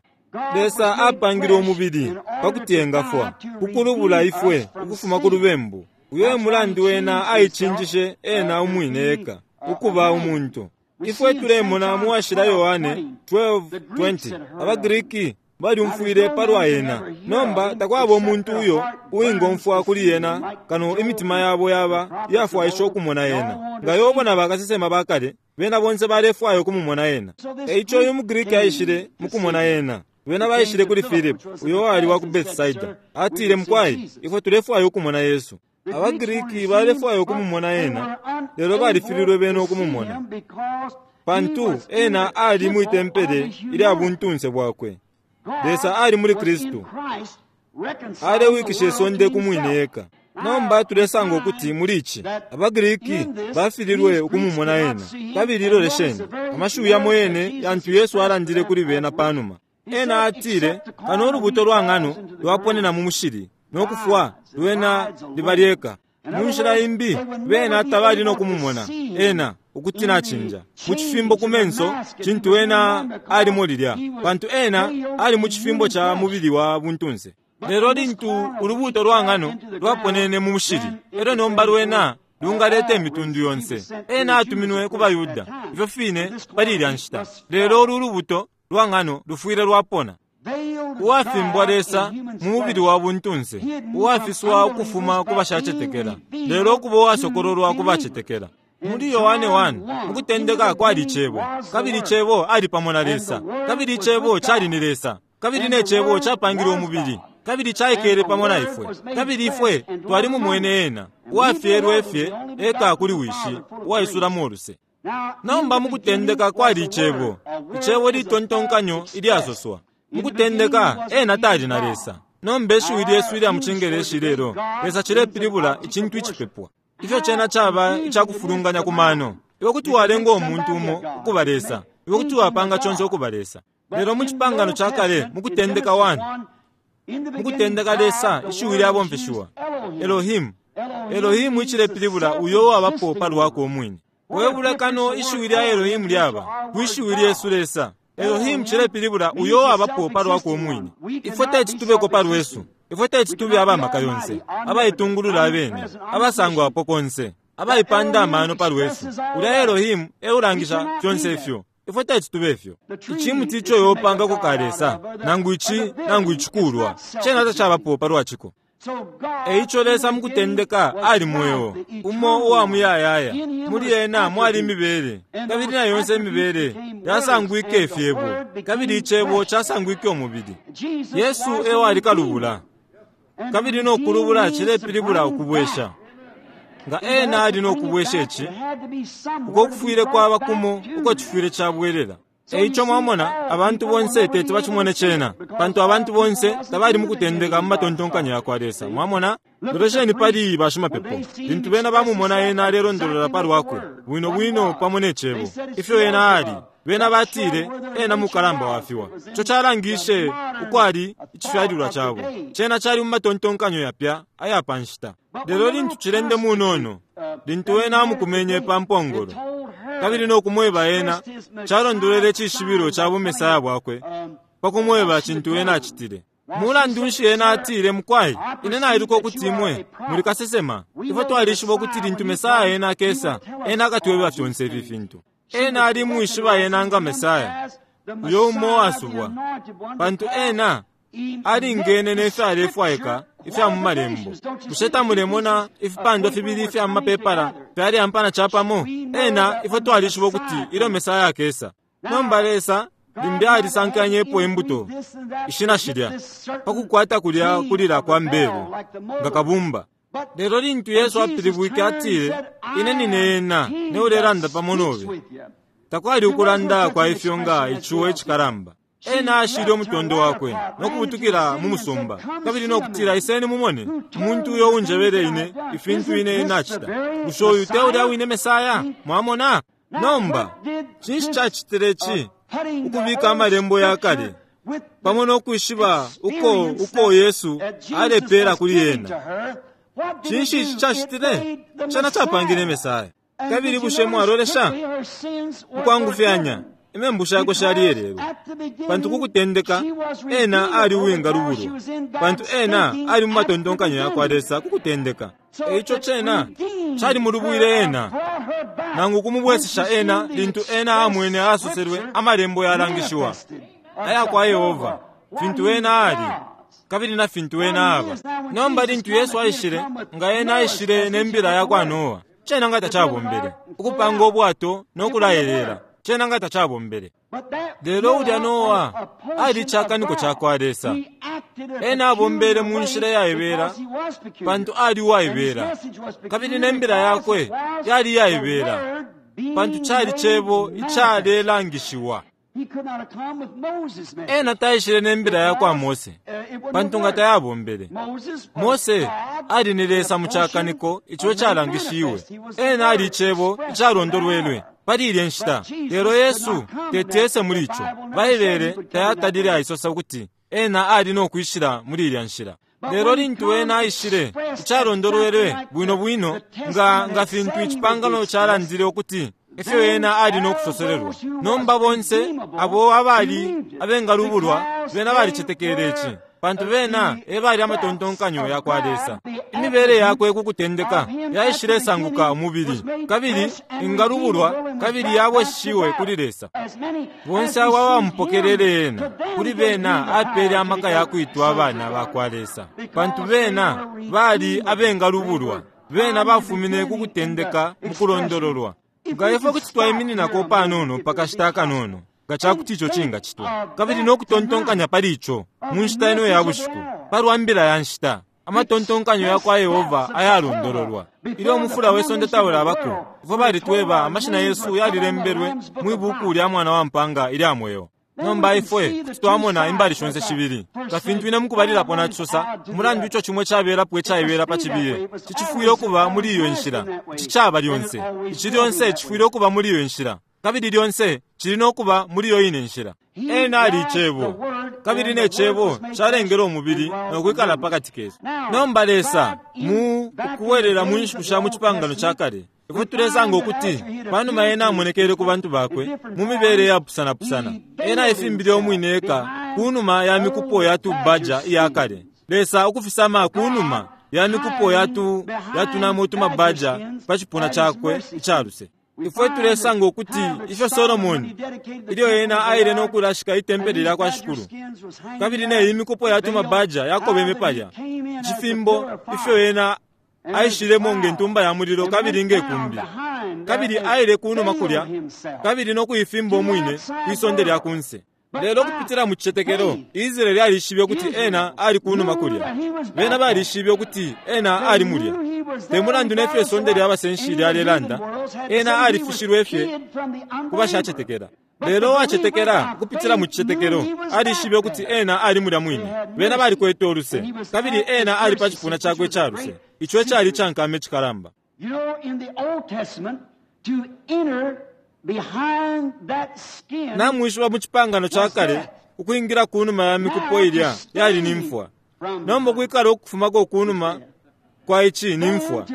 Lesa apangile umubili pa kuti engafwa, ku kulubula ifwe ukufuma ku lubembu. Uyo e mulandu ena aicinjishe ena umwine eka ukuba umuntu. Ifwe tulemona mu Washila Yohane 12:20 abaGriki balyumfwile palwa ena. Nomba takwaba umuntu uyo uwingomfwa kuli ena kano imitima yabo yaba iyafwaisha ukumona ena. Nga Yobo na bakasesema bakale, bena bonse balefwaya ukumumona ena. E ico uyu muGriki aishile mukumona ena. Bena baishile kuli Filipo, uyo wali wa ku Bethsaida. Atile, mukwai, ifwe tulefwaya ukumona Yesu. AbaGriki balefwaya ukumumona ena, lelo balifililwe bena ukumumona, pantu ena ali mwi tempele ilya buntunse bwakwe. Lesa ali muli Kristu, alewikisha isonde ku mwine eka. Nomba tulesanga ukuti muli ici abaGriki bafililwe ukumumona ena. Kabili lolesheni amashiwi yamo yene yantu Yesu alandile kuli bena panuma. Ena atile, kano ulubuto lwa ng'ano lwaponena mu mushili no kufwa, lwena liba lyeka. Mu nshila imbi, bena tabali no kumumona ena ukuti nacinja mu cifimbo ku menso cintu ena alimo lilya, pantu ena ali mu cifimbo ca mubili wa buntunse. Lelo lintu ulubuto lwa ng'ano lwaponene mu mushili, elyo nomba lwena lungaleta imitundu yonse. Ena atuminwe ku baYuda ifyo fine pali ilya nshita, lelo ulu lubuto lwa ng'ano lufwile lwapona. Uwafimbwa Lesa mu mubili wa buntunse, uwafiswa ukufuma ku bashacetekela, lelo ukuba uwasokololwa ku bacetekela. Muli Yohane 1, mukutendeka kwali Cebo, kabili Cebo ali pamo na Lesa, kabili Cebo cali ni Lesa, kabili ne Cebo capangile umubili, kabili caikele pamo na ifwe, kabili ifwe twalimumwene ena, uwafyelwe fye eka kuli Wishi, uwaisulamo uluse. Nomba mukutendeka kwali Icebo, Icebo litontonkanyo ilyasoswa. Mukutendeka ena tali na Lesa. Nomba ishiwi lyesu ilya mu Cingeleshi lelo, Lesa cilepilibula icintu icipepwa. Ifyo cena caba icakufulunganya ku mano. Iwe kuti walenga umuntu umo ukuba Lesa, iwe kuti wapanga conse ukuba Lesa. Lelo mu Cipangano ca Kale, mukutendeka 1, mukutendeka Lesa, ishiwi lyabomfeshiwa, Elohim. Elohim icilepilibula uyo uwabapo palwakwe umwine. We bulekano ishiwi lya Elohim lyaba kwi shiwi lyesu Lesa. Elohim cilepilibula uyo uwabapo palwakwe umwine. Ifwe teti tubeko palwesu. Ifwe teti tube abamaka yonse, abaitungulula abene, abasangwapo konse, abaipanda amano palwesu. Ulya Elohim eulangisha fyonse ifyo. Ifwe teti tube ifyo. Icimuti ico yopangako ka Lesa, nangu ici nangu icikulwa, cena tacabapo palwaciko. E ico Lesa mukutendeka ali mweo, umo uwa muyayaya. Muli ena mwali imibele, kabili na yonse imibele yasangwike ifyebo, kabili icebo casangwike umubili. Yesu e wali kalubula, kabili no kulubula cilepilibula ukubwesha. Nga ena ali no kubwesha ici, uko kufwile kwaba kumo uko cifwile cabwelela. E ico mwamona, abantu bonse teti bacimone cena, pantu abantu bonse tabali mukutendeka mu matontonkanyo yakwa Lesa. Mwamona? Lolesheni pali bashimapepo, lintu bena bamumona ena alelondolola palwakwe bwino bwino pamo ne cebo, ifyo ena ali. Bena batile, ena mukalamba wafiwa. Ico calangishe ukwali icifyalilwa cabo. Cena cali mu matontonkanyo yapya aya pa nshita. Lelo lintu cilende munono, lintu ena amukumenye pa mpongolo, kabili no kumweba ena, calondolwele icishibilo ca bumesaya bwakwe pa kumweba cintu ena acitile. Mulandu nshi ena atile, mukwai, ine nailuka ukuti imwe muli kasesema. Ifwe twalishiba ukuti lintu Mesaya ena akesa, ena akatweba fyonse ifi fintu. Ena ali mwishiba ena nga Mesaya, uyo umo uwasubwa, pantu ena alingene ne fyalefwaika ifya mu malembo. Bushe tamulemona ifipandwa fibili ifya mu mapepala fyalyampana capamo? Ena ifwe twalishiba ukuti ilyo Mesaya akesa. Nomba Lesa limbi alisankanyepo imbuto ishina shilya pa kukwata kulya kulila kwa mbelu nga kabumba. Lelo lintu Yesu apilibwike atile, ine nine ena ne ulelanda pamo nobe. Takwali ukulanda kwa ifyo nga icuwo icikalamba. Ena ashile umutondo wakwe no kubutukila mu musumba, kabili no kutila, iseni mumone umuntu uyo unjebele ine ifintu ine nacita. Bushe uyu te ulya wine Mesaya? Mwamona? Nomba cinshi cacitile ci? Ukubika amalembo ya kale pamo no kwishiba uko Yesu alepela kuli ena. Cinshi ici cacitile? Cena capangile Mesaya. Kabili bushe mwalolesha? Mukwangufyanya, imembu shakwe shaliyelelwe. Pantu kukutendeka, ena ali uwingalubulwa, pantu ena ali mu matontonkanyo yakwa Lesa kukutendeka. Eico cena calimulubwile ena, nangu kumubwesesha ena lintu ena amwene asoselwe amalembo yalangishiwa ayakwa Yehova, fintu ena ali kabili na fintu ena aba. Nomba lintu Yesu aishile, nga ena aishile ne mbila yakwa Noa, cena nga tacabombele. Ukupanga ubwato no kulaelela, cena nga tacabombele. Lelo ulya Noa ali cakaniko cakwa Lesa. Ena abombele mu nshila yaibela, pantu ali uwaibela, kabili ne mbila yakwe yali iyaibela, pantu cali cebo icalelangishiwa. Ena taishile ne mbila yakwa Mose, pantu nga tayabombele. Mose ali ni Lesa mu cakaniko ico calangishiwe. Ena ali icebo icalondolwelwe pali ilye nshita. Lelo Yesu teti ese muli ico. Baibele tayatalile aisosa ukuti ena ali no kwishila muli ilya nshila. Lelo lintu ena aishile, icalondolwelwe bwino bwino nga nga fintu icipangano calandile ukuti ifyo ena ali no kusoselelwa. Nomba bonse abo abali abengalubulwa bena balicetekele ici, pantu bena e bali amatontonkanyo yakwa Lesa. Imibele yakwe ku kutendeka yaishilesanguka umubili, kabili ingalubulwa kabili yabweshiwe kuli Lesa. Bonse abo abamupokelele ena, kuli bena apele amaka ya kwitwa abana bakwa Lesa, pantu bena bali abengalubulwa. Bena bafumine ku kutendeka mu kulondololwa. Nga ifwe kuti twaimininako panono pa kashita akanono, nga ca kuti ico cingacitwa, kabili no kutontonkanya pali ico mu nshita ino ya bushiku, palwa mbila ya nshita, amatontonkanyo ya kwa Yehova ayalondololwa. Ilyo umufula we sonde taulabako, ifwe balitweba amashina yesu yalilembelwe mwi buku lya Mwana wa Mpanga ilya mweo. Nomba ifwe kuti twamona imbali shonse shibili. Nga fintu ine mukubalilapo nacisosa, umulandu ico cimwe cabelapo icaibela pa cibiye, cicifwile ukuba muli iyo nshila. Ici caba lyonse. Ici lyonse cifwile ukuba muli iyo nshila. Kabili lyonse cili no kuba muli iyo ine nshila. Ena ali Icebo, kabili ne Cebo calengele umubili no kwikala pakati kesu. Nomba Lesa, mu ukubwelela mu nshiku sha mu Cipangano ca Kale, ifwe tulesanga ukuti panuma ena amonekele ku bantu bakwe mu mibele yapusanapusana, ena aifimbile umwine eka ku numa ya mikupo ya tubaja iya kale. Lesa ukufisama ku numa ya mikupo ya tu ya tunamo utumabaja pa cipuna cakwe icaluse. Ifwe tulesanga ukuti ifyo Solomoni, ilyo ena aile no kulashika itempele lya kwa Shikulu, kabili ne iyi mikupo ya tumabaja yakobeme palya, icifimbo, ifyo ena aishilemo nge ntumba ya mulilo kabili nge kumbi, kabili aile kunuma kulya kabili no kuifimba umwine kwi sonde lya kunse. Lelo kupitila mu cicetekelo, Israeli alishibe ukuti ena ali kunuma kulya. Bena balishibe ukuti ena ali mulya. Te mulandu ne fyo isonde lya basenshi lyalelanda, ena alifishilwe fye ku bashacetekela. Lelo uwacetekela ukupitila mu cicetekelo alishibe ukuti ena ali mulya mwine. Bena balikwete uluse, kabili ena ali pa cipuna cakwe ica luse. Ico ecali icankama icikalamba. Namwishiba mu Cipangano ca Kale, ukwingila ku numa ya mikupo ilya yali ni mfwa. Nomba ukwikala ukufumako ku numa kwa ici ni mfwa.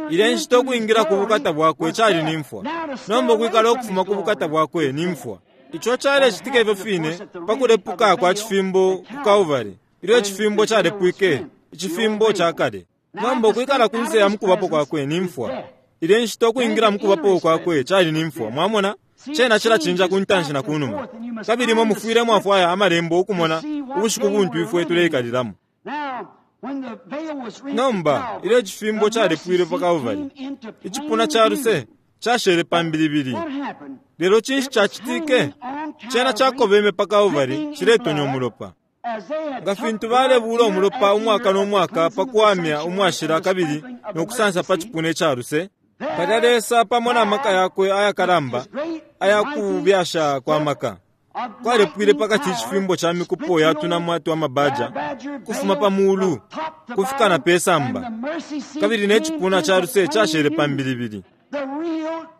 Ilya nshita ukwingila ku bukata bwakwe cali ni mfwa. Nomba ukwikala ukufuma ku bukata bwakwe ni mfwa. Ico calecitika ifyo fine pa kulepuka kwa cifimbo ku Kalvari, ilyo icifimbo calepwike, icifimbo ca kale. Nomba ukwikala kunse ya mukubapo kwakwe ni mfwa. Ilya nshita ukwingila mukubapo kwakwe cali ni mfwa. Mwamona? Cena cilacinja ku ntanshi na ku numa. Kabili imwe mufwile mwafwaya Amalembo ukumona ubushiku buntu ifwe tuleikalilamo. Nomba, ilyo icifimbo calepwile pa Kalvari, icipuna ca luse cashele pa mbilibili. Lelo cinshi cacitike? Cena cakobeme pa Kalvari ciletonya umulopa. Nga fintu balebuula umulopa umwaka no mwaka pa kuwamya umwashila kabili no kusansa pa cipuna ica luse, palya Lesa pamo na maka yakwe ayakalamba aya kubyasha kwa maka kwalepwile pakati icifimbo ca mikupo ya tunamwa twa mabaja kufuma pa mulu kufika na pe samba, kabili ne cipuna ca luse cashele pa mbilibili.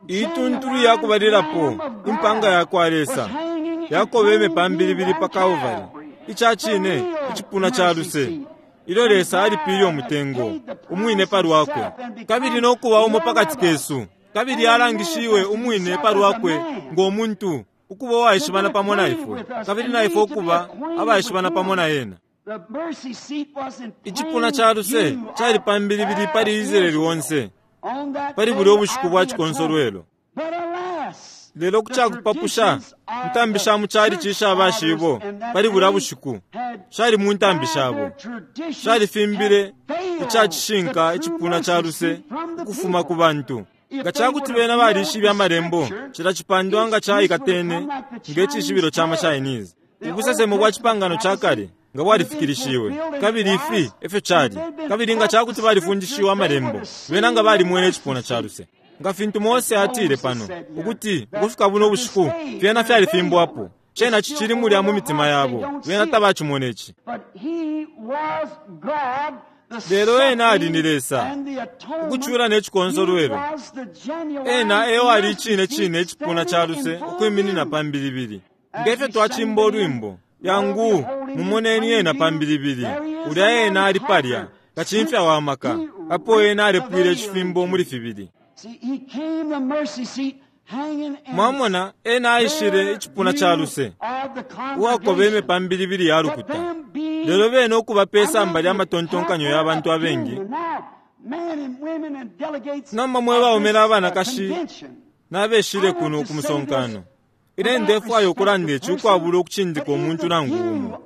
Ituntulu ya kubalilapo, impanga ya kwa Lesa, yakobeme pa mbilibili pa Kalvari, ica cine icipuna ca luse. Ilyo Lesa alipile umutengo, umwine palwakwe, kabili no kuba umo pakati kesu, kabili alangishiwe umwine palwakwe ngo muntu, ukuba uwaishibana pamo na ifwe, kabili na ifwe ukuba abaishibana pamo na ena. Icipuna ca luse cali pa mbilibili pali Israeli onse pali bulya ubushiku bwa cikonsolwelo. Lelo ku ca kupapusha, intambi sha mu calici isha bashibo pali bulya bushiku shali mu ntambi shabo, shalifimbile ica cishinka icipuna ca luse ukufuma ku bantu. Nga ca kuti bena balishibe Amalembo, cila cipandwa nga caikatene nge cishibilo ca maChinese. Ubusesemo bwa Cipangano ca Kale nga bwalifikilishiwe, kabili ifi e fyo cali. Kabili nga ca kuti balifundishiwe Amalembo, bena nga balimwene icipuna ca luse. Nga fintu Mose atile pano, ukuti ukufika buno bushiku fyena fyalifimbwapo, cena cicili mulya mu mitima yabo, bena tabacimona ici. Lelo ena ali ni Lesa, ukucula ne cikonsolwelo. Ena e wali icine cine icipuna ca luse ukwiminina pa mbilibili. Nge fyo twacimba ulwimbo, yangu, mumoneni ena pa mbilibili. Ulya ena ali palya, kacimfya wa maka, apo ena alepwile icifimbo muli fibili. Mwamona, ena aishile icipuna ca luse, uwakobeme pa mbilibili ya lukuta. Lelo bena ukuba pe samba lya matontonkanyo ya bantu abengi. Nomba mwe baume na banakashi nabeshile kuno ku musonkano, ine ndefwaya ukulanda ici ukwabula ukucindika umuntu nangu umo.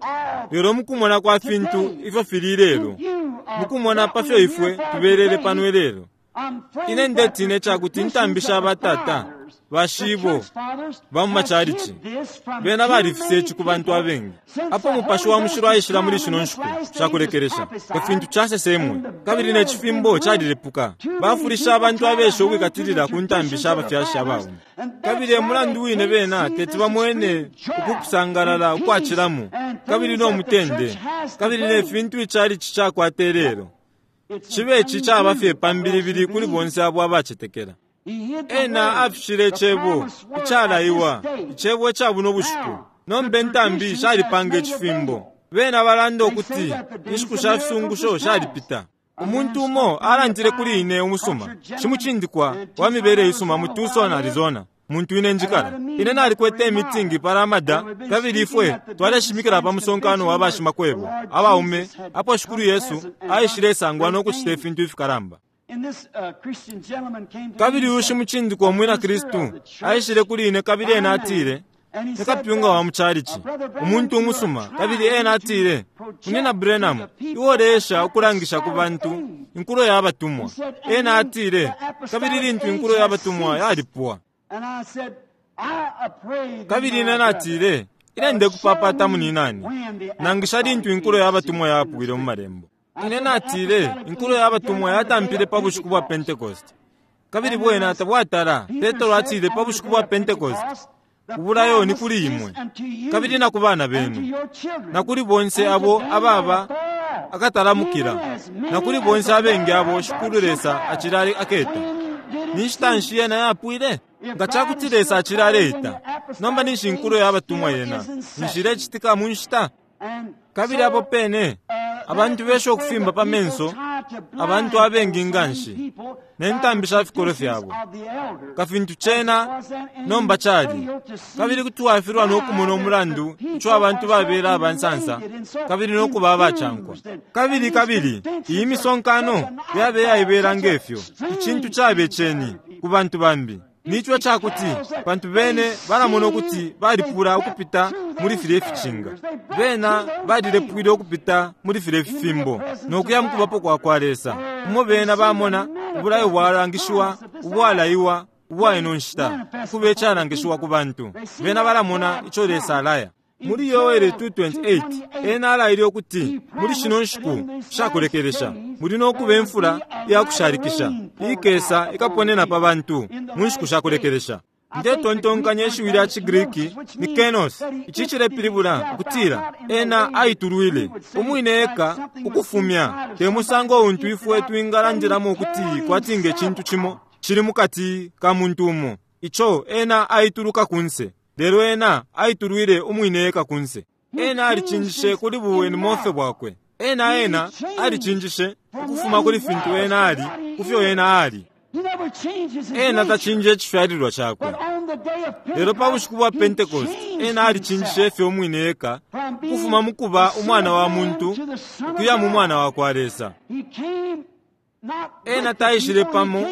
Lelo mukumona kwa fintu ifyo fili ilelo, mukumona pa fyo ifwe tubelele pano ilelo, ine ndetina icakuti intambi sha batata, bashibo ba mu macalici, bena balifisa ici ku bantu abengi. Apo Mupashi wa Mushilo aishila muli shino nshiku shakulekelesha, nga fintu casesemwe, kabili ne cifimbo calilepuka, bafulisha abantu abesha ukwikatilila ku ntambi sha bafyashi abaume. Kabili e mulandu wine bena teti bamwene uku kusangalala ukwacilamo, kabili no mutende, kabili ne fintu icalici cakwata ilelo. Cibe ici caba fye pa mbilibili kuli bonse abo abacetekela. Ena afishile Icebo icalaiwa, Icebo ica buno bushiku. Nomba intambi shalipanga icifimbo. Bena balanda ukuti inshiku sha fisungusho shalipita. Umuntu umo alandile kuli ine umusuma, shimucindikwa wa mibele isuma mu Tucson, Arizona, muntu ine njikala. Ine nalikwete imitingi pa Ramada, kabili ifwe twaleshimikila pa musonkano wa bashimakwebo abaume apo Shikulu Yesu aishilesangwa no kucita ifintu ifikalamba. Kabili uyu shimucindikwa umwina Kristu aishile kuli ine kabili ena atile, Ni kapyunga wa mu chalichi, umuntu umusuma, kabili ena atile, Munyina Branham, iwe uleesha ukulangisha ku bantu inkulo ya batumwa. Ena atile, Kabili lintu inkulo ya batumwa yalipwa. Kabili ine natile, Ine ndekupapata munyinane, nangisha lintu inkulo ya batumwa yapwile mu Malembo. Ine natile, Inkulo ya batumwa yatampile pa bushiku bwa Pentecost. Kabili bwena tabwatala, Petro atile pa bushiku bwa Pentecost, Ubulayo ni kuli imwe, kabili na ku bana benu, na kuli bonse abo ababa akatalamukila, na kuli bonse abengi abo Shikulu Lesa acila aketa. Ni nshita nshi yena yapwile? Nga ca kuti Lesa acila aleita, nomba ninshi inkulo ya batumwa yena ninshi ilecitika mu nshita? Kabili apo pene, abantu besha ukufimba pa menso abantu abengi nga nshi ne ntambi sha fikolwe fyabo, nga fintu cena nomba cali, kabili kuti wafilwa no kumona umulandu ico abantu babela aba nsansa kabili no kuba abacankwa. Kabili, kabili iyi misonkano yaba iyaibela nge fyo, icintu cabe ceni ku bantu bambi. Ni co ica kuti, pantu bene balamona ukuti balipula ukupita muli filye ficinga. Bena balilepwile ukupita muli filye fifimbo no kuya mu kubapo kwa kwa Lesa, umo bena bamona ubulayo bwalangishiwa ubwalaiwa ubwa ino nshita ukuba icalangishiwa ku bantu. Bena balamona ico Lesa alaya. Muli Yoele 2:28, ena alaile ukuti muli shino nshiku sha kulekelesha muli no kuba imfula iya kushalikisha iikesa ikaponena pa bantu mu nshiku sha kulekelesha. Ndetontonkanya ishiwi lya ciGriki ni kenos. Ici cilepilibula ukutila ena aitulwile umwine eka ukufumya, te musango untu ifwe twingalandilamo ukuti kwati nge cintu cimo cili mu kati ka muntu umo, ico ena aituluka kunse. Lelo ena aitulwile umwine eka kunse. Ena alicinjishe kuli bu enimofe bwakwe. Ena ena alicinjishe ukufuma kuli fintu ena ali kufyo ena ali. Ena tacinja icifyalilwa cakwe. Lelo pa bushiku bwa Pentecost ena alicinjishe ifyo umwine eka ukufuma mukuba umwana wa muntu ukuya mu mwana wa kwa Lesa. Ena taishile pamo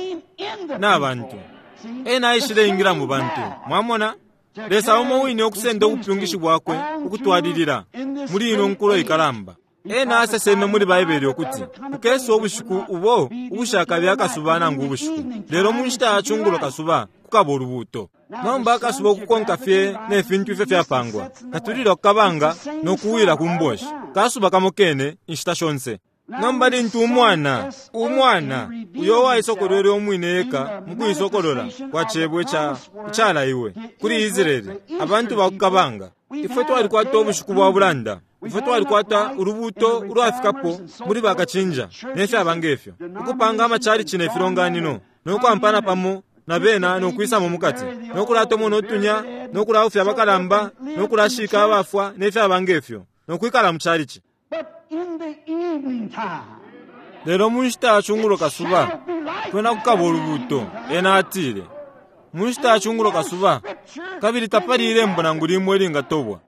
na bantu. Ena aishile ingila mu bantu. Mwamona? Lesa umo wine ukusenda ubupyungishi bwakwe ukutwalilila muli ino nkulo ikalamba. Ena aseseme muli Baibele ukuti kukesa ubushiku ubo ubushakabe akasuba nangu ubushiku, lelo mu nshita ya cungulo kasuba kukaba ulubuuto. Nomba akasuba ukukonka fye ne fintu ifyo fyapangwa, katulila kukabanga no kuwila ku mboshi, kasuba kamo kene inshita shonse. Nomba lintu umwana, umwana uyo uwaisokolwele umwine eka mu kuisokolola kwa cebo ica icalaiwe kuli Israele, abantu ba kukabanga, ifwe twalikwata ubushiku bwa bulanda. Ifwe twalikwata ulubuuto ulwafikapo muli bakacinja ne fyaba ngefyo, ukupanga amachalichi ne filonganino, no kwampana pamo na bena no kwisamo mukati, no kulatomona utunya, no kulaufya abakalamba, no kulashika abafwa ne fyaba ngefyo, no kwikala mu chalichi. Lelo mu nshita ya cungulo kasuba kwena kukaba ulubuuto, ena atile. Mu nshita ya cungulo kasuba, kabili tapali ilembo nangu limo ilingatobwa.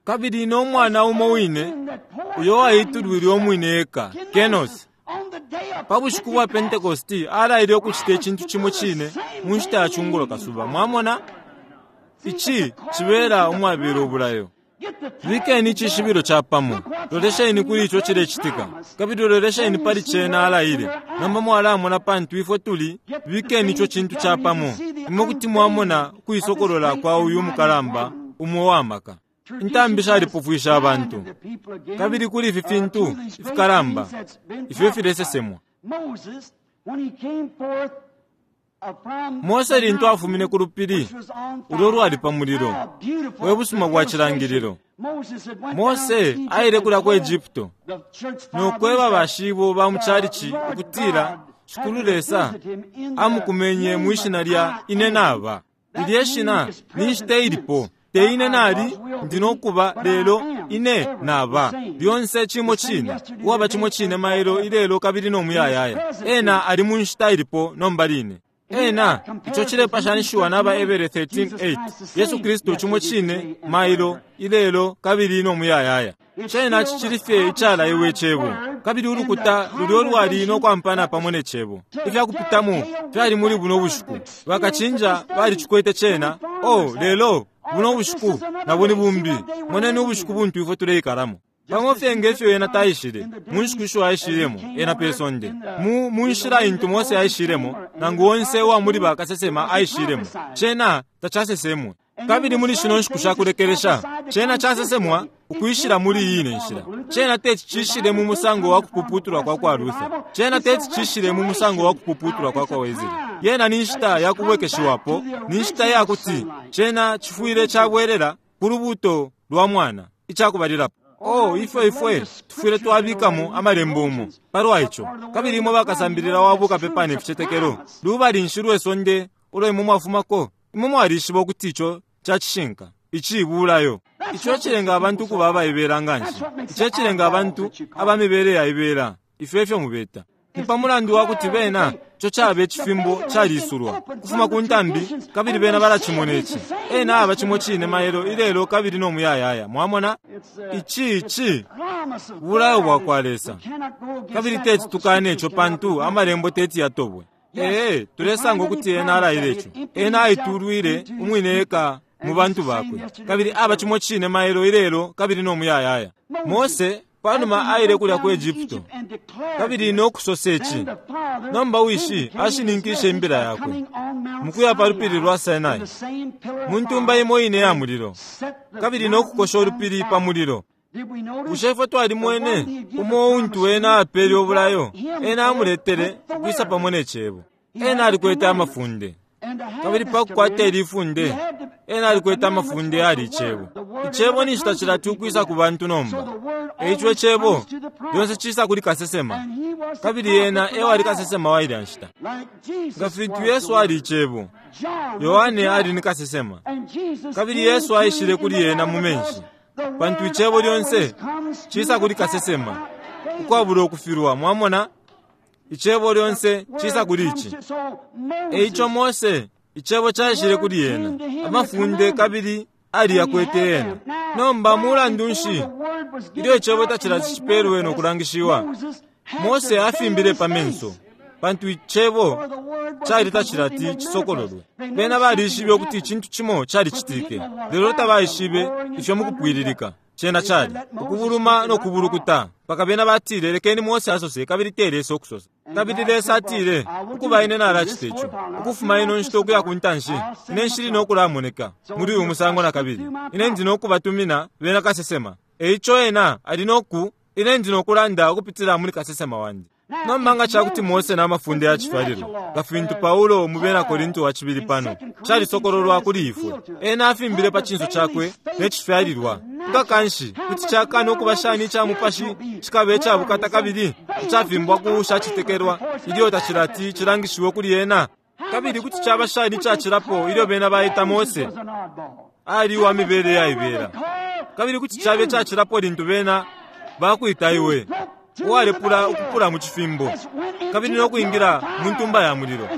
Kabili no mwana umo wine uyo waitulwile umwine eka, Kenos, pa bushiku bwa Pentecosti alaile ukucita icintu cimo cine mu nshita ya cungulo kasuba. Mwamona? Ici cibela umwabela ubulayo. Bikeni icishibilo capamo, lolesheni kuli ico cilecitika, kabili lolesheni pali cena alaile. Nomba mwalamona pantu ifwe tuli, bikeni ico cintu capamo, imwe kuti mwamona ukuisokolola kwa uyu mukalamba umo wa maka. Intambi shalipofwisha abantu, kabili kuli ifi fintu ifikalamba ifyo filesesemwa. Mose lintu afumine ku lupili ulo lwali pa mulilo, we busuma bwa cilangililo. Mose aile kulya ku Egypto no kweba bashibo ba mu chalichi ukutila Shikulu Lesa amukumenye mwi shina lya ine naba. Lilye shina ni nshita ilipo, te ine nali ndi no kuba, lelo ine naba. Lyonse cimo cine, uwaba cimo cine mailo ilelo kabili no muyayaya. Ena ali mu nshita ilipo nomba line. Ena ico cilepashanishiwa naba Ebere 13:8, Yesu Kristu cimo cine mailo ilelo kabili no muyayaya. Cena cicili fye icalaiwe cebo, kabili ulukuta lulyo lwali no kwampana pamo ne cebo. Ifyakupitamo fyali muli buno bushiku, bakacinja balicikwete cena. Oh, lelo buno bushiku nabo ni bumbi. Moneni ubushiku buntu ifwe tuleikalamo. Pamo fye ngefyo ena taishile mu nshiku isho aishilemo ena pe sonde, mu mu nshila intu Mose aishilemo, nangu onse uwa muli bakasesema aishilemo, cena tacasesemwe. Kabili muli shino nshiku shakulekelesha cena casesemwa ukwishila muli iyi ine nshila. Cena teti cishile mu musango wa kupuputulwa kwa kwa Luther, cena teti cishile mu musango wa kupuputulwa kwa kwa Wesley. Yena ni nshita ya kubwekeshiwapo, ni nshita ya kuti cena cifwile cabwelela ku lubuto lwa mwana icakubalilapo. Oh, ifwe ifwe tufwile twabikamo amalembo umo palwa ico. Kabili imwe bakasambilila wa bukapepa ne ficetekelo, lubali nshi lwe sonde ulo imwe mwafumako? Imwe mwalishiba ukuti ico ca cishinka, ici bulayo. Ico cilenga abantu ukuba abaibela nga nshi, ico cilenga abantu aba mibele yaibela, ifyo efyo mubeta. Ni pa mulandu wa kuti bena ico caba icifimbo calisulwa ukufuma ku ntambi, kabili bena balacimona ici. Ena aba cimo cine mailo ilelo kabili no muyayaya. Mwamona? Ici ici bulayo bwa kwa Lesa, kabili teti tukane ico pantu amalembo teti yatobwe. Ee, tulesanga ukuti ena alaile ico. Ena aitulwile umwine eka mu bantu bakwe, kabili aba cimo cine mailo ilelo kabili no muyayaya. Mose panuma aile kulya ku Egypto kabili no kusosa ici. Nomba wishi ashininkishe imbila yakwe mukuya pa lupili lwa Sinai mu ntumba imo ine ya mulilo, kabili no kukosha ulupili pa mulilo. Bushe ifwe twalimwene umo untu ena apele ubulayo? Ena amuletele ukwisa pamo ne cebo. Ena alikwete amafunde, kabili pa kukwata ili ifunde ena alikwete amafunde yali icebo. Icebo ninshi tacilati ukwisa ku bantu nomba. Eico icebo lyonse cisa kuli kasesema, kabili ena ewali kasesema wa ilya nshita. Nga fintu Yesu ali icebo, Yohane ali ni kasesema, kabili Yesu aishile kuli ena mu menshi, pantu icebo lyonse Cisa kuli kasesema ukwabula ukufilwa. Mwamona, Icebo lyonse cisa kuli ici. Eico Mose, Icebo caishile kuli ena, amafunde, kabili aliyakwete ena. Nomba mulandu nshi ilyo Icebo tacilati cipelwe no kulangishiwa, Mose afimbile pa menso, pantu Icebo cali tacilati cisokololwe. Bena balishibe ukuti icintu cimo calicitike, lelo tabaishibe ifyo mukupwililika cena cali ukubuluma no kubulukuta, mpaka bena batile, "Lekeni Mose asose, kabili te Lesa ukusosa." Kabili Lesa atile, "Ukuba, ine nalacita ico. Ukufuma ino nshita ukuya ku ntanshi, ine nshili no kulamoneka muli uyu musango na kabili. Ine ndi no kubatumina bena kasesema." Eico ena ali no ku ine ndi no kulanda ukupitila muli kasesema wandi. Nomba nga cakuti Mose na mafunde ya cifyalilwa, nga fintu Paulo mu Bena Korinto wa cibili pano, calisokololwa kuli ifwe, ena afimbile pa cinso cakwe ne cifyalilwa, nga kanshi kuti cakana ukuba shani ica mupashi cikaba ica bukata kabili icafimbwa ku ushacitekelwa ilyo tacilati cilangishiwe kuli ena? Kabili kuti caba shani icacilapo ilyo bena baita Mose ali uwa mibele yaibela? Kabili kuti cabe icacilapo lintu bena bakwita iwe uwalepula ukupula mu cifimbo kabili no kwingila mu ntumba ya mulilo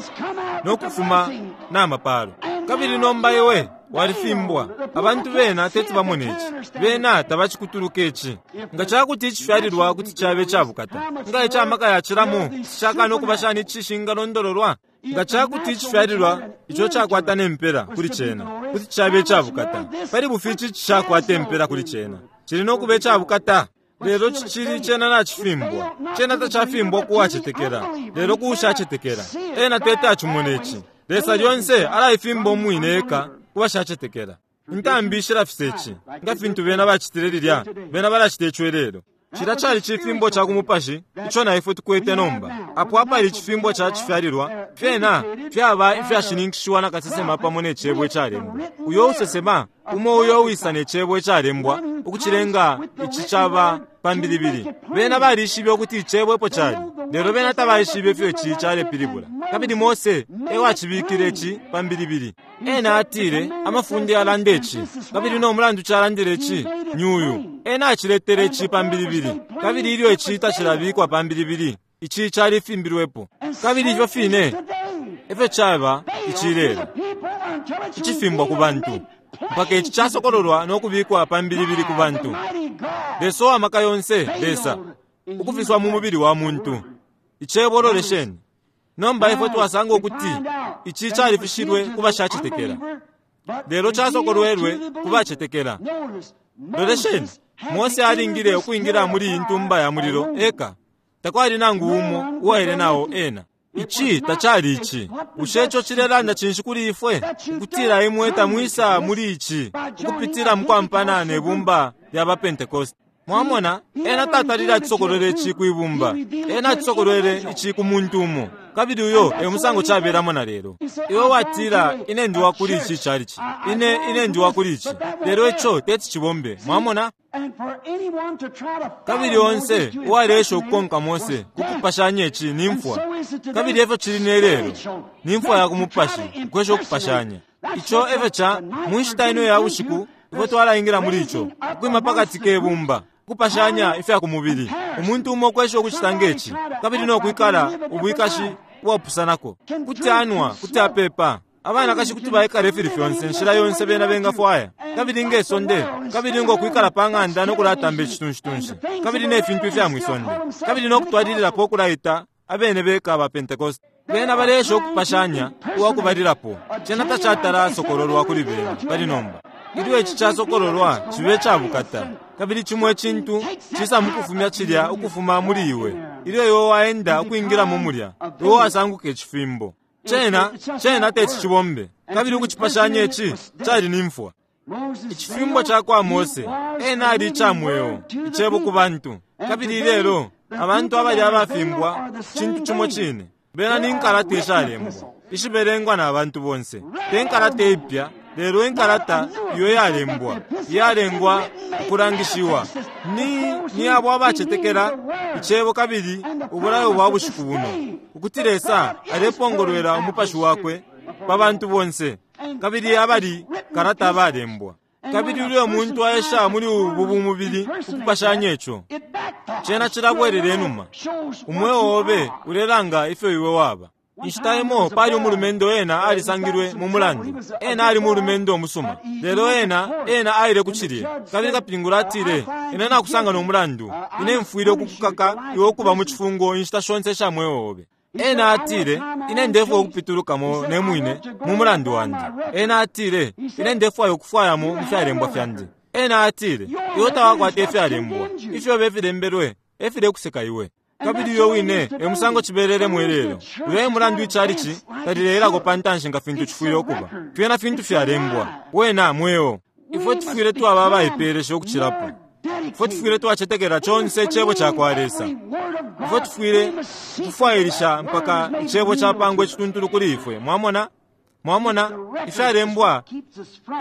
no kufuma na mapalo, kabili nomba iwe walifimbwa. Abantu bena teti bamone ici, bena tabacikutuluka ici. Nga cakuti icifyalilwa kuti cabe icabukata, nga icamaka yacilamo cakana ukuba shani icishingalondololwa? Nga cakuti icifyalilwa ico cakwata ne mpela kuli cena kuti cabe icabukata, pali bufi ici cishakwata impela kuli cena cili no kuba icabukata. Lelo cicili cena nacifimbwa. Cena tacafimbwa ku wacetekela, lelo ku ushacetekela. Ena teti acimone ici. Lesa lyonse alaifimba umwine eka ku bashacetekela. Intambi shilafisa ici, nga fintu bena bacitile lilya, bena balacita ico ilelo. Cilya cali cifimbo ca ku mupashi ico na ifwe tukwete nomba. Apo apali icifimbo ca cifyalilwa, fyena fyaba ifyashininkishiwa na kasesema pamo ne Cebo icalembwa. Uyo usesema, umo uyo uwisa ne Cebo icalembwa, ukucilenga ici caba pambilibili. Bena balishibe ukuti Icebo epo cali, lelo bena tabaishibe ifyo ici calepilibula. Kabili Mose e wacibikile ici pambilibili. Ena atile, "Amafunde yalanda ici, kabili no mulandu calandile ici ni uyu." Ena aciletele ici pambilibili, kabili ilyo ici tacilabikwa pambilibili, ici califimbilwepo. Kabili ifyo fine efyo caba ici lelo, icifimbwa ku bantu mpaka ici casokololwa no kubikwa pambilibili ku bantu. Lesa uwa maka yonse, Lesa ukufiswa mu mubili wa muntu, Icebo. Lolesheni nomba, ifwe twasanga ukuti ici califishilwe ku bashacetekela, lelo casokolwelwe ku bacetekela. Lolesheni, Mose alingile ukwingila muli iyi ntumba ya mulilo eka. Takwali nangu umo uwaile nao ena. Ici tacali ici. Bushe ico cilelanda cinshi kuli ifwe? Ukutila imwe tamwisa muli ici ukupitila mukwampana ne bumba lya ba Pentecost. Mwamona, ena tatalile acisokolwele ici kwibumba. Ena acisokolwele ici ku muntu umo. Kabili uyo e musango cabelamo na lelo. Iwe watila, "Ine ndi wa kuli ici chalichi. Ine ndi wa kuli ici." Lelo ico teti cibombe. Mwamona? Kabili onse uwaleesha ukukonka Mose kukupashanya ici ni mfwa. Kabili efyo cili ne lelo, ni mfwa ya ku mupashi ukwesha ukupashanya ico. Efyo ca mu nshita ino ya bushiku ifwe twalaingila muli ico, ukwima pakati ke bumba, ukupashanya ifya ku mubili, umuntu umo ukwesha ukucita ngeci kabili no kwikala ubwikashi ubwapusanako. Kuti anwa, kuti apepa, abanakashi kuti baikala ifili fyonse nshila yonse bena bengafwaya, kabili nge sonde, kabili ngo kwikala pa ng'anda no kulatamba icitunshitunshi kabili ne fintu ifya mwisonde, kabili no kutwalililapo ukulaita abene beka ba Pentecost. Bena baleesha ukupashanya uwakubalilapo. Cena tacatala sokololwa kuli bena pali nomba. Ilyo ici casokololwa, cibe cabukata, kabili cimo icintu cisa mukufumya cilya ukufuma muli iwe. Ilyo iwe waenda ukwingilamo mulya, iwe wasanguka icifimbo. Cena teti cibombe. Kabili ukucipashanya ici cali ni mfwa. Icifimbo ca kwa Mose, ena ali ica mweo, Icebo ku bantu. Kabili ilelo abantu abali abafimbwa cintu cimo cine. Bena ni nkalata ishalembwa ishibelengwa na bantu bonse, te nkalata ipya, lelo inkalata iyo yalembwa, iyalengwa ukulangishiwa ni abo abacetekela Icebo kabili ubulayo bwa bushiku buno, ukuti Lesa alepongolwela umupashi wakwe pa bantu bonse, kabili abali kalata abalembwa. Kabili ilyo umuntu aesha muli ubu bumubili ukupashanya ico, cena cilabwelela inuma. Umweo obe ulelanga ifyo iwe waba. Inshita imo pali umulumendo ena alisangilwe mu mulandu. Ena ali mulumendo umusuma. Lelo ena, ena aile ku cilye. Kabili kapingula atile, Ine nakusanga no mulandu. Ine mfwile ukukukaka iwe ukuba mu cifungo inshita shonse isha mweo obe. Ena atile, Ine ndefwaya ukupitulukamo ne mwine mu mulandu wandi. Ena atile, Ine ndefwaya ukufwayamo mu fyalembwa fyandi. Ena atile, Iwe tawakwata ifyalembwa. Ifyobe ifilembelwe e filekuseka iwe. Kabili uyo wine e musango cibelelemo ilelo. Uyo e mulandu ichalichi talileelako pa ntanshi nga fintu cifwile ukuba. Fyena fintu fyalembwa. Wena mweo. Ifwe tufwile twaba abaipeelesha ukucilapo. Ifwe tufwile twacetekela conse Icebo cakwa Lesa. Ifwe tufwile ukufwailisha mpaka Icebo capangwa icituntulu kuli ifwe. Mwamona? Mwamona? Ifyalembwa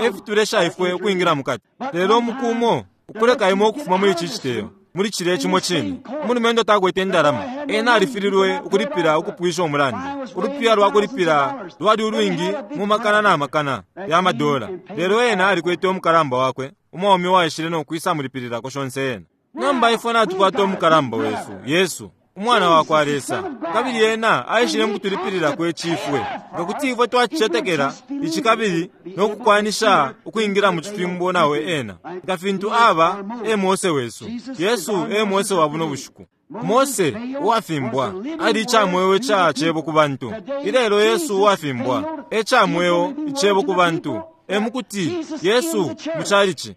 e fitulesha ifwe ukwingila mukati. Lelo umuku umo, ukuleka imwe ukufuma muli ici citeyo, muli cilya cimo cine, umulumendo takwete indalama. Ena alifililwe ukulipila ukupwisha umulandu. Ulupiya lwa kulipila lwali ulwingi mu makana na makana ya madola. Lelo ena alikwete umukalamba wakwe umwaume uwaishile no kwisa mulipililako shonse ena. Nomba ifwe natukwata umukalamba wesu, Yesu, Umwana wakwa Lesa, kabili Ena aishile mukutulipililako ici ifwe. Nga kuti ifwe twacicetekela ici kabili no kukwanisha ukwingila mu cifimbo nao Ena, nga fintu Aba e Mose wesu, Yesu e Mose wa buno bushiku. Mose, uwafimbwa, ali ica mweo ica Cebo ku bantu. Ilelo Yesu uwafimbwa e ca mweo Icebo ku bantu, e mukuti, Yesu mu chalichi.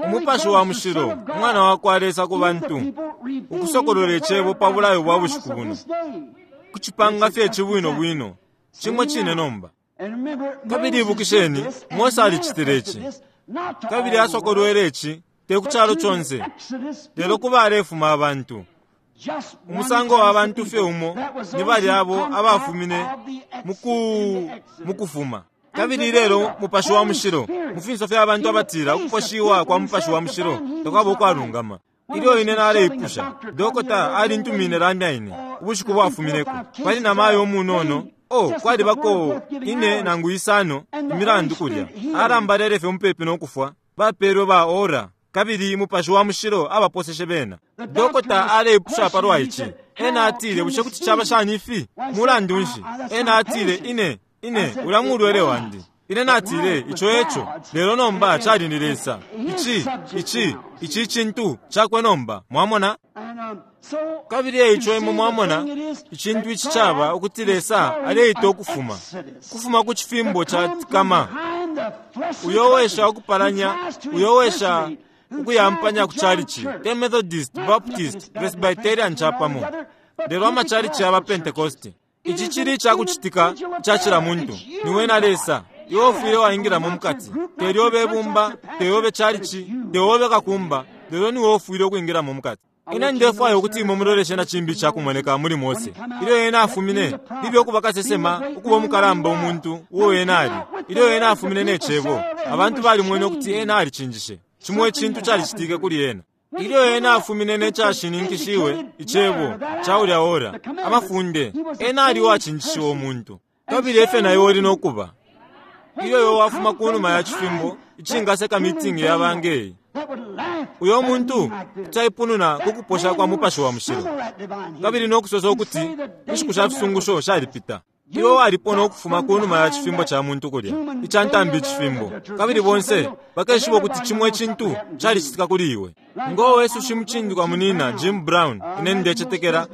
Umupashi wa Mushilo, Umwana wakwa Lesa ku bantu, ukusokolola Icebo pa bulayo bwa bushiku buno, kucipanga fye ici bwino bwino, cimo cine nomba. Kabili ibukisheni, Mose alicitile ici, kabili asokolwele ici te ku calo conse, lelo ku balefuma abantu. Umusango wa bantu fye umo ni balya abo abafumine muku, mukufuma. Kabili ilelo Mupashi wa Mushilo, mu finso fya bantu abatila ukuposhiwa kwa Mupashi wa Mushilo takwaba ukwalungama. Ilyo ine naleipusha, dokota alintumine lamya ine ubushiku bwafumineko, pali na mayo umunono, oh, kwalibako ine nangu isano imilandu kulya, alambalele fye mupepi no kufwa, bapelwe ba ora, kabili Mupashi wa Mushilo abaposeshe bena. Dokota aleipusha palwa ici. Ena atile, Bushe kuti caba shani ifi? Mulandu nshi? Ena atile, Ine, Ine, ulya mulwele wandi. Ine natile, Ico eco. Lelo nomba cali ni Lesa. Ici, ici, ici cintu cakwe nomba. Mwamona? Kabili eico imwe mwamona, icintu ici caba ukuti Lesa aleita ukufuma, kufuma ku cifimbo ca kama. Uyo wesha ukupalanya, uyo wesha ukuyampanya ku chalichi, te Methodist, Baptist, Presbyterian capamo, lelo amachalichi yaba Pentecosti. Ici cili icakucitika ica cila muntu. Niwe na Lesa. Iwe ufwile waingilamo mukati. Te lyobe ibumba, te yobe chalichi, te obe kakumba, lelo niwe ufwile ukwingilamo mukati. Ine ndefwaya ukuti imwe muloleshe na cimbi icakumoneka muli Mose. Ilyo ena afumine, libe ukuba kasesema, ukuba umukalamba umuntu uo ena ali. Ilyo ena afumine ne Cebo, abantu balimwene ukuti ena alicinjishe. Cimo icintu calicitike kuli ena. Ilyo ena afumine ne cashininkishiwe, Icebo, ca ulya ora, amafunde, ena ali uwacinjishiwa umuntu. Kabili efyo na iwe uli no kuba. Ilyo iwe wafuma kunuma ya cifimbo icingaseka mitingi yaba ngeyi, uyo muntu kuti aipununa ku kuposha kwa Mupashi wa Mushilo, kabili no kusosa ukuti inshiku sha fisungusho shalipita. Iwe walipona ukufuma kunuma ya cifimbo ca muntu kulya, ica ntambi icifimbo, kabili bonse bakeshiba ukuti cimo icintu calicitika kuli iwe. Ngo wesu shimucindikwa munina Jim Brown, ine ndecetekela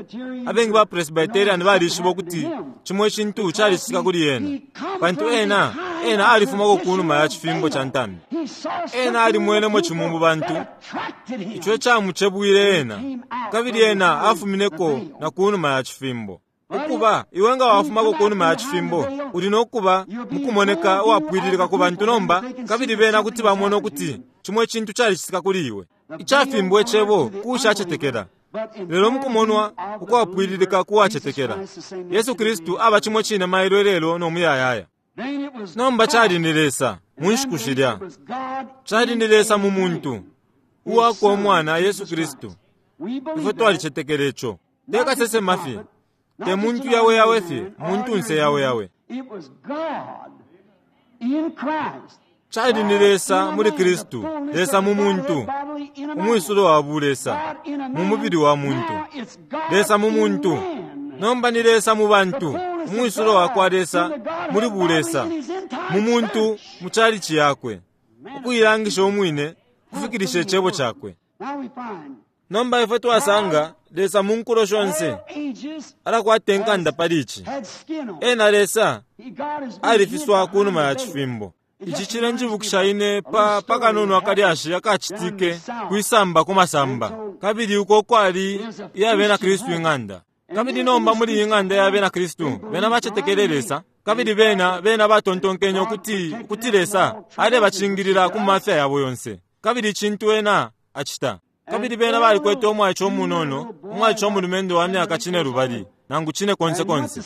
abengi ba Presbyterian balishiba ukuti cimo icintu calicitika kuli ena, pantu ena, ena alifumako kunuma ya cifimbo ca ntambi. Ena alimwenemo cimo mu bantu ico icamucebwile ena, kabili ena afumineko na kunuma ya cifimbo. Ukuba, iwe nga wafumako kunuma ya cifimbo, uli no kuba mukumoneka uwapwililika ku bantu nomba, kabili bena kuti bamona ukuti cimo icintu calicitika kuli iwe. Icafimbwa Icebo ku ushacetekela, lelo mukumonwa ukwapwililika ku wacetekela. Yesu Kristu aba cimo cine mailo, ilelo, no muyayaya. Nomba cali ni Lesa mu nshiku shilya. Cali ni Lesa mu muntu, uwakwe Umwana Yesu Kristu. Ifwe twalicetekela ico. Te kasesema fye, te muntu yawe yawe fye, muntunse yawe yawe. Cali ni Lesa muli Kristu, Lesa mu muntu, umwisulo wa bulesa, mu mubili wa muntu. Lesa mu muntu. Nomba ni Lesa mu bantu, umwisulo wa kwa Lesa muli bulesa, mu muntu mu chalichi yakwe, ukuilangisha umwine, kufikilisha icebo cakwe. Nomba ifwe twasanga Lesa mu nkulo shonse alakwata inkanda pali ici. Ena Lesa alifiswa kunuma ya cifimbo. Ici cilenjibukisha ine pa kanono akalyashi akacitike kwisamba ku masamba, kabili uko kwali iya bena Kristu ing'anda. Kabili nomba muli iyi ng'anda ya bena Kristu, bena bacetekele Lesa, kabili bena batontonkenye ukuti Lesa alebacingilila ku mafya yabo yonse, kabili icintu ena acita. Kabili bena balikwete umwaice umunono, umwaice umulumendo wa myaka 5 nangu 4 konse konse.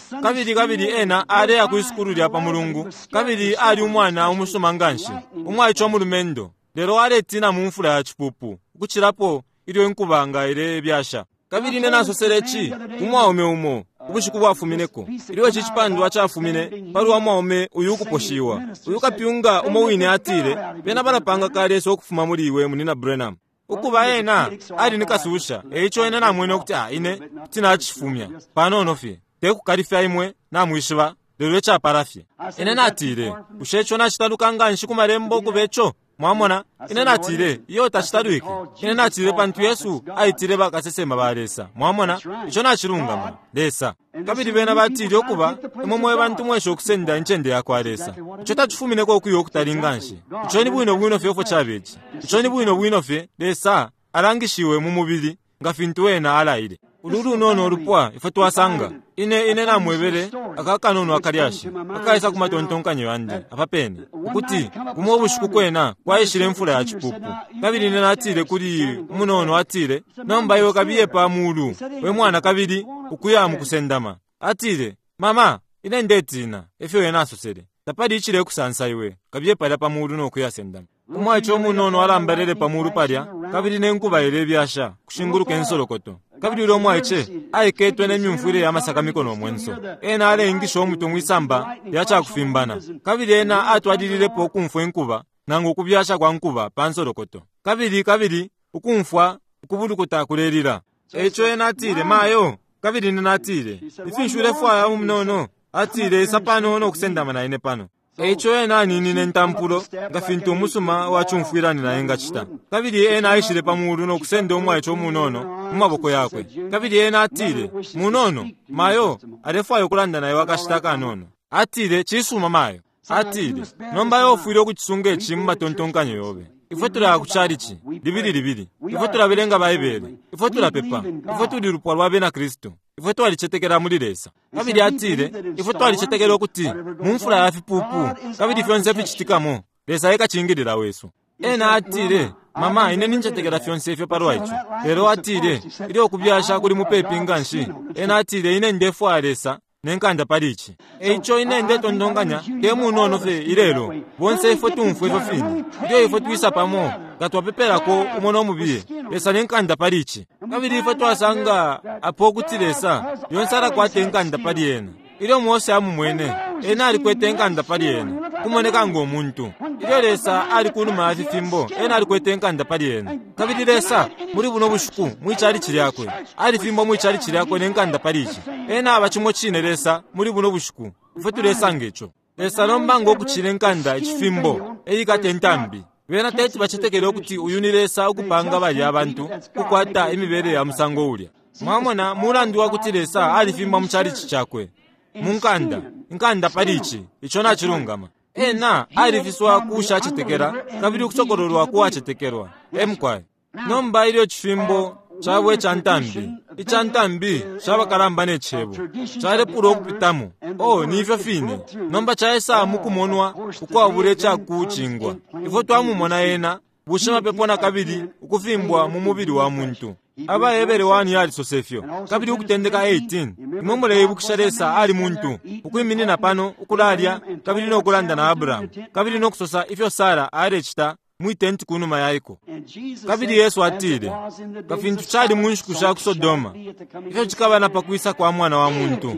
Kabili ena aleya ku isukulu lya pa mulungu, kabili ali umwana umusuma nganshi, umwaice umulumendo, lelo aletina mu mfula ya cipupu, ukucilapo ilyo inkuba nga ilebyasha. Kabili ine nasosele ici ku mwaume umo ubushiku bwafumineko, ilyo ici cipandwa cafumine palwa mwaume uyu ukuposhiwa. Uyu kapyunga umo wine atile, bena balapanga ka Lesa ukufuma muli iwe, Munina Branham. Ukuba ena ali ni kasusha, eico ena namwene ukuti ine kuti nacifumya panono fye, tekukalifya imwe namwishiba, lelo icapala fye. Ine natile, bushe ico nacitaluka nganshi ku malembo ukuba ico? Mwamona, ine natile, iyo tacitalwike. Ine natile pantu Yesu aitile bakasesema ba Lesa. Mwamona, ico nacilungama, Lesa. Kabili bena batile ukuba imwe mwe bantu mwesha ukusenda incende ya kwa Lesa. Ico tacifumineko ukuya ukutali nganshi. Ico ni bwino bwino fye ofo cabeci. Ico ni bwino bwino fye Lesa alangishiwe mu mubili nga fintu ena alaile. Ulu lunono ulupwa ifwe twasanga. Ine namwebele akakanono akalyashi akaisa ku matontonkanyo yandi apa pene ukuti kumo ubushiku kwena kwaishile imfula ya cipupu. Kabili ine natile kuli umunono, atile, nomba iwe kabiye pa mulu we mwana kabili ukuya mu kusendama. Atile, mama, ine ndetina, efyo ena asosele, tapali icile kusansa iwe, kabiye palya pa mulu no kuyasendama. Umwaice umunono alambalele pa mulu palya, kabili nenkuba ilebyasha kushinguluka insolokoto. Kabili ulo mwaice aiketwe nemyumfwile ya masakamiko no mwenso. Ena aleingisha umutwe mwisamba lya cakufimbana, kabili ena atwalililepo ukumfwa inkuba nangu ukubyasha kwa nkuba pa nsolokoto, kabili ukumfwa ukubulukuta kulelila. Eico ena atile, mayo, kabili ine natile, ifinshi ulefwaya umunono? Atile, isa pano no kusendama na ine pano. Eico ena aninine ntampulo nga fintu umusuma wacumfwilani naye ngacita. Kabili ena aishile pa mulu no kusenda umwaice umunono mu maboko yakwe. Kabili ena atile, munono, mayo alefwaya ukulanda naye wakashita kanono. Atile, cisuma mayo. Atile, nomba iwe ufwile ukucisunga ici mu matontonkanyo yobe. Ifwe tulaya ku chalichi libili libili, ifwe tulabelenga Baibele, ifwe tulapepa, ifwe tuli lupwa lwa bena Kristu, ifwe twalicetekela muli Lesa. Kabili atile, ifwe twalicetekela ukuti mu mfula ya fipupu kabili fyonse ficitikamo, Lesa ekacingilila wesu. Ena atile, mama, ine nincetekela fyonse ifyo palwa ico. Lelo atile, ilyo ukubyasha kuli mupepi nganshi, ena atile, ine ndefwaya Lesa nenkanda pali ici. Eico ine ndetontonkanya te munono fye ilelo, bonse ifwe tumfwe ifyo fine. Ilyo ifwe twisa pamo, nga twapepelako umo no mubiye, Lesa nenkanda pali ici. Kabili ifwe twasanga apo ukuti Lesa yonse alakwata inkanda pali ena. Ilyo Mose amumwene, ena alikwete inkanda pali ena, kumoneka ngo muntu. Ilyo Lesa ali kunuma ya fifimbo, ena alikwete inkanda pali ena. Kabili Lesa muli buno bushiku mwichalichi lyakwe, alifimbo mwichalichi lyakwe nenkanda pali ici. Ena aba cimo cine Lesa muli buno bushiku, ifwe tulesanga ico. Lesa nomba ngo kucila inkanda icifimbo, eyikate intambi. Bena teti bacetekele ukuti uyu ni Lesa ukupanga balya abantu kukwata imibele ya musango ulya. Mwamona, mulandu wa kuti Lesa alifimba mu chalichi cakwe mu nkanda, inkanda pali ici, ico nacilungama. Ena alifiswa kushacetekela kabili ukusokololwa kuwacetekelwa. Emukwaye. Nomba ilyo cifimbo cabwe ica ntambi, ica ntambi cabakalamba ne cebo, calepula ukupitamo. Oh, ni ifyo fine. Nomba caisa mukumonwa ukwabula icakucingwa. Ifwe twamumona ena bushimapepo na kabili ukufimbwa mu mubili wa muntu. Abahebere 1 yalisose fyo. Kabili ukutendeka 18, imwe muleibukisha Lesa ali muntu ukwiminina pano ukulalya kabili no kulanda na Abrahamu, kabili no kusosa ifyo Sara alecita mwi tenti kunuma yaiko. Kabili Yesu atile, nga fintu cali mu nshiku sha ku Sodoma, ifyo cikaba na pakwisa kwa mwana wa muntu,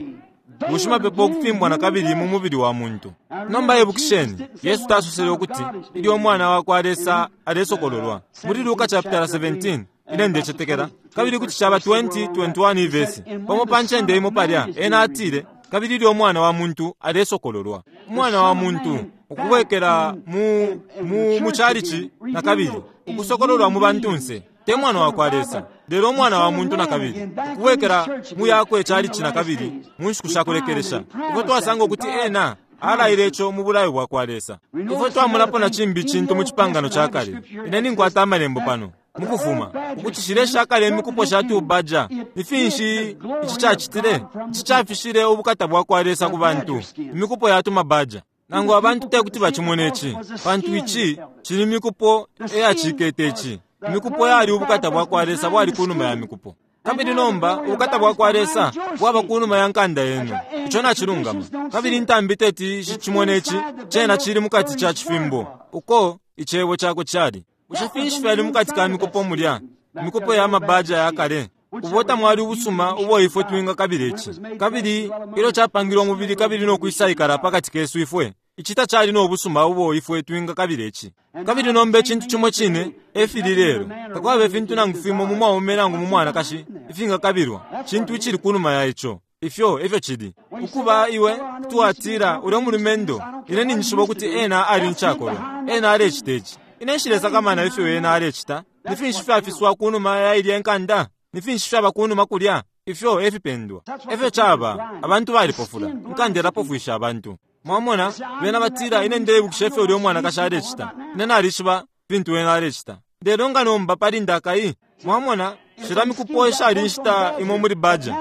bushimapepo ukufimbwa na kabili mu mubili wa muntu. Nomba ibukisheni, Yesu tasosele ukuti ilyo Umwana wa kwa Lesa alesokololwa muli Luka chapitala 17, ine ndecetekela, kabili kuti caba 20, 21 ivesi pamo pa ncende imo palya, ena atile, kabili ilyo Umwana wa muntu alesokololwa. Umwana wa muntu ukubwekela mu mu mu chalichi na kabili ukusokololwa mu bantunse, te Mwana wa kwa Lesa, lelo Umwana wa muntu na kabili ukubwekela mu yakwe chalichi na kabili mu nshiku sha kulekelesha. Ifwe twasanga ukuti ena alaile ico mu bulayo bwa kwa Lesa. Ifwe twamulapo na cimbi cintu mu Cipangano ca Kale. Ine ninkwata Amalembo pano, mukufuma, ukuti shile shakale imikupo sha tubaja. Ni finshi ici cacitile? Ici cafishile ubukata bwa kwa Lesa ku bantu, imikupo ya tumabaja. Nangu abantu te kuti bacimone ici, pantu ici cili mikupo eyacikete ici. Imikupo yali ubukata bwa kwa Lesa bwali kunuma ya mikupo. Kabili nomba ubukata bwa kwa Lesa bwaba kunuma ya nkanda yenu. Ico nacilungama. Kabili intambi teti shicimone ici, cena cili mukati ca cifimbo, uko icebo cakwe cali. Bushe finshi fyali mukati ka mikupo mulya? Imikupo ya mabaja ya kale. Ubo tamwali ubusuma ubo ifwe twingakabila ici. Kabili ilyo capangilwe umubili kabili no kwisaikala pakati kesu ifwe, ici tacali no busuma ubo ifwe twingakabila ici. Kabili nomba icintu cimo cine efili lelo. Takwaba ifintu nangu fimo mu mwaume nangu mu mwanakashi ifingakabilwa. Cintu icili kunuma ya ico. Ifyo efyo cili. Ukuba iwe kuti watila ulya mulumendo, ine ninjishiba ukuti ena ali ncakolwa. Ena alecita ici. Ine nshilesakamana ifyo ena alecita. Ni finshi fyafiswa kunuma ya ilya nkanda? Ni finshi fyaba kunuma kulya? Ifyo efipendwa. Efyo caba, abantu balipofula. Inkanda ilapofwisha abantu. Mwamona, bena batila, ine ndeibukisha ifyo ulya umwanakashi alecita. Ine nalishiba fintu ena alecita. Lelo nga nomba pali ndakai, mwamona, shila mikupo ishali inshita imo muli baja.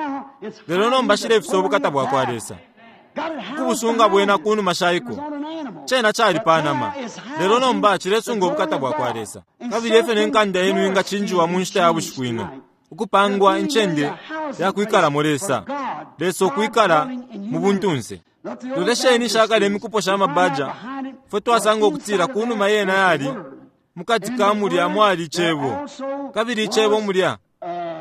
Lelo nomba shilefisa ubukata bwa kwa Lesa. Kubusunga bwena kunuma shaiko. Cena cali panama. Lelo nomba cilesunga ubukata bwa kwa Lesa. Kabili efyo ne nkanda yenu ingacinjiwa mu nshita ya bushiku ino. Ukupangwa incende ya kwikalamo Lesa. Lesa ukwikala mu buntunse. Lolesheni shakale imikupo sha mabaja. Fwe twasanga ukutila kunuma yena yali mukati ka mulya mwali icebo. Kabili icebo mulya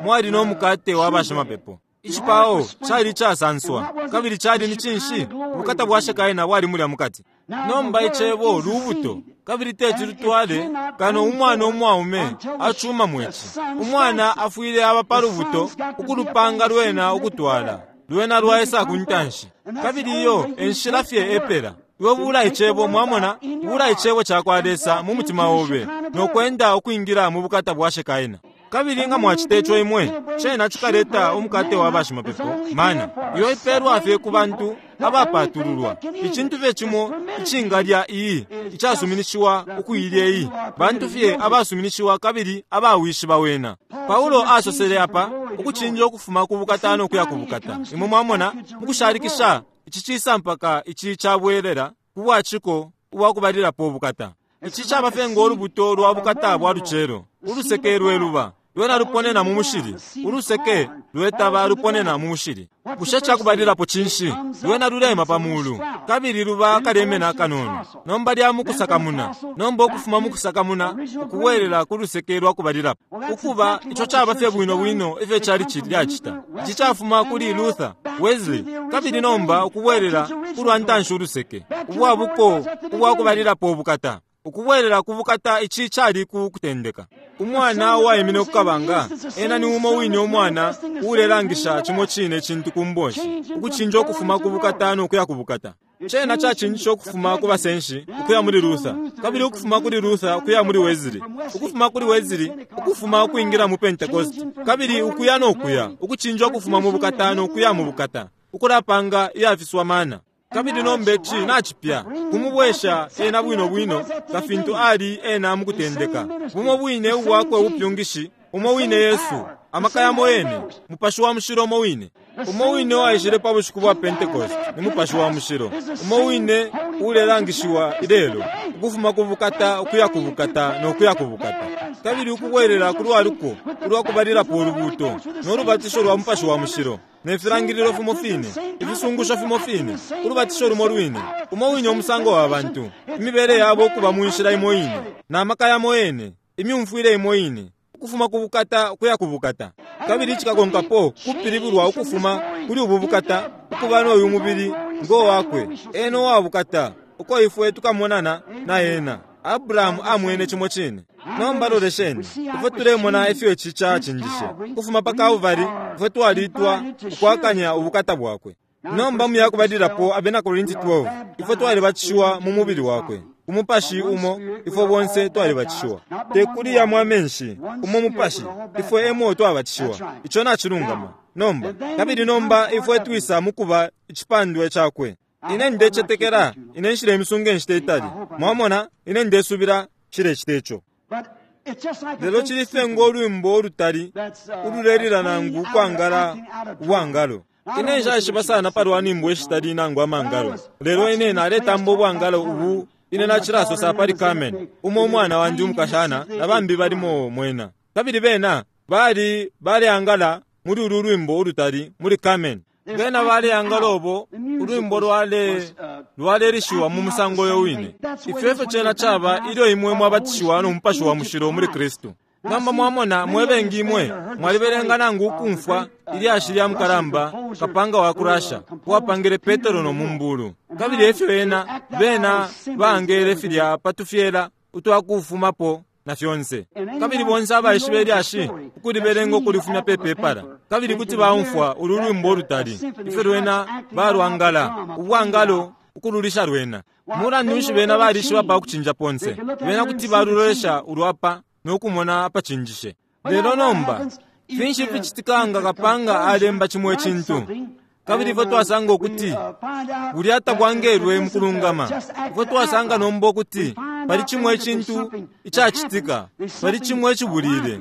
mwali no mukate wa bashimapepo. Icipao cali icasanswa, kabili cali ni cinshi? Ubukata bwa Shekaina bwali mulya mukati. Nomba icebo lubuto, kabili teti lutwale kano umwana umwaume acuma mweci. Umwana afwile aba pa lubuto ukulupanga lwena ukutwala. Lwena lwaisa ku ntanshi. Kabili iyo enshila fye epela. Iwe bula icebo, mwamona, bula icebo ca kwa Lesa mu mutima obe, no kwenda ukwingila mu bukata bwa Shekaina. Kabili nga mwacita ico imwe, cena cikaleta umukate wa bashimapepo, mana, iyo ipeelwa fye ku bantu abapatululwa. Icintu fye cimo icingalya iyi, icasuminishiwa ukuilya iyi, bantu fye abasuminishiwa kabili abawishiba wena. Paulo asosele apa, ukucinja ukufuma ku bukata no kuya ku bukata. Imwe mwamona, mukushalikisha, ici cisa mpaka ici cabwelela ku bwaciko ubwakubalilapo ubukata. Ici caba fye ngo lubuto lwa bukata bwa lucelo, uluseke lwe luba, lwena luponena mu mushili, uluseke lwetaba luponena mu mushili. Bushe cakubalilapo cinshi? Lwena lulema pa mulu, kabili luba kalemena kanono. Nomba lya mukusakamuna, nomba ukufuma mukusakamuna, ukubwelela ku luseke lwa kubalilapo. Ukuba, ico caba fye bwino bwino ifyo cali lyacita. Ici cafuma kuli Luther, Wesley, kabili nomba ukubwelela ku lwa ntanshi uluseke, ubwabuko ubwakubalilapo ubukata. Ukubwelela ku bukata ici cali ku kutendeka. Umwana uwaimine ku kabanga, ena ni umo wine umwana uulelangisha cimo cine cintu ku mbonshi, ukucinja ukufuma ku bukata no kuya ku bukata. Cena cacinjishe ukufuma ku basenshi ukuya muli Luther, kabili ukufuma kuli Luther ukuya muli Wesley, ukufuma kuli Wesley ukufuma ukwingila mu Pentecost, kabili ukuya no kuya, ukucinja ukufuma mu bukata no kuya mu bukata, ukulapanga iyafiswa mana. Kabili nomba ici nacipya, kumubwesha ena bwino bwino nga fintu ali ena mukutendeka. Bumo bwine ubwakwe ubupyungishi, umo wine Yesu, amaka yamo yene, Mupashi wa Mushilo umo wine. Umo wine uwaishile pa bushiku bwa Pentecost ni Mupashi wa Mushilo, umo wine ulelangishiwa ilelo, ukufuma ku bukata ukuya ku bukata no kuya ku bukata, kabili ukubwelela ku lwaluko ulwa kubalilapo ulubuuto no lubatisho lwa Mupashi wa Mushilo. Ne filangililo fimo fine, ifisungusho fimo fine, ulubatisho lumo lwine, umo wine umusango wa bantu, imibele yabo ukuba mu nshila imo ine, na maka yamo yene, imyumfwile imo ine, ukufuma ku bukata ukuya ku bukata. Kabili icikakonkapo kupilibulwa ukufuma kuli ubu bukata ukuba no uyu mubili ngo wakwe, ena uwa bukata, uko ifwe tukamonana na ena. Abrahamu amwene cimo cine. Nomba lolesheni, ifwe tulemona ifyo ici cacinjishe. Ukufuma pa Kalvari, ifwe twalitwa ukwakanya ubukata bwakwe. Nomba mu yakubalilapo Abena Korinti 12, ifwe twalibatishiwa mu mubili wakwe. Ku mupashi umo, ifwe bonse twalibatishiwa. Te kuli yamo amenshi, umo mupashi, ifwe emo twabatishiwa. Ico nacilungama. Nomba, kabili nomba ifwe twisa mukuba icipandwe cakwe. Ine ndecetekela, ine nshilemisunga inshita itali. Mwamona, ine ndesubila nshilecita ico. Lelo cili fye ngo lwimbo ulutali ululelila nangu ukwangala ubwangalo. Ine nshaishiba sana palwa nyimbo ishitali nangu amangalo, lelo ine naletamba ubwangalo ubu ine nacilasosa pali Carmen, umo umwana wandi umukashana na bambi balimo mwena. Kabili bena bali baleangala muli ulu lwimbo ulutali muli Carmen. Bena baleangala ubo ulwimbo lwale lwalelishiwa mu musango uyo wine. Ifyo efyo cena caba ilyo imwe mwabatishiwa no Mupashi wa Mushilo muli Kristu. Nomba mwamona, mwe bengi imwe mwalibelenga nangu ukumfwa ilyashi lya mukalamba kapanga wa ku Russia uwapangile Petero no mumbulu. Kabili efyo ena bena baangele filya pa tufyela utwakufumapo na fyonse. Kabili bonse abaishiba ilyashi ukulibelenga ukulifumya pe pepala, kabili kuti baumfwa ulu lwimbo ulutali, ifyo lwena balwangala, ubwangalo ukululisha lwena. Mulandu nshi bena balishiba pa kucinja ponse? Bena kuti balulolesha ulwapa no kumona apacinjishe. Lelo nomba, finshi ficitika nga kapanga alemba cimo icintu? Kabili ifwe twasanga ukuti bulya tabwangelwe mukulungama. Ifwe twasanga nomba ukuti pali cimo icintu icacitika, pali cimo icibulile.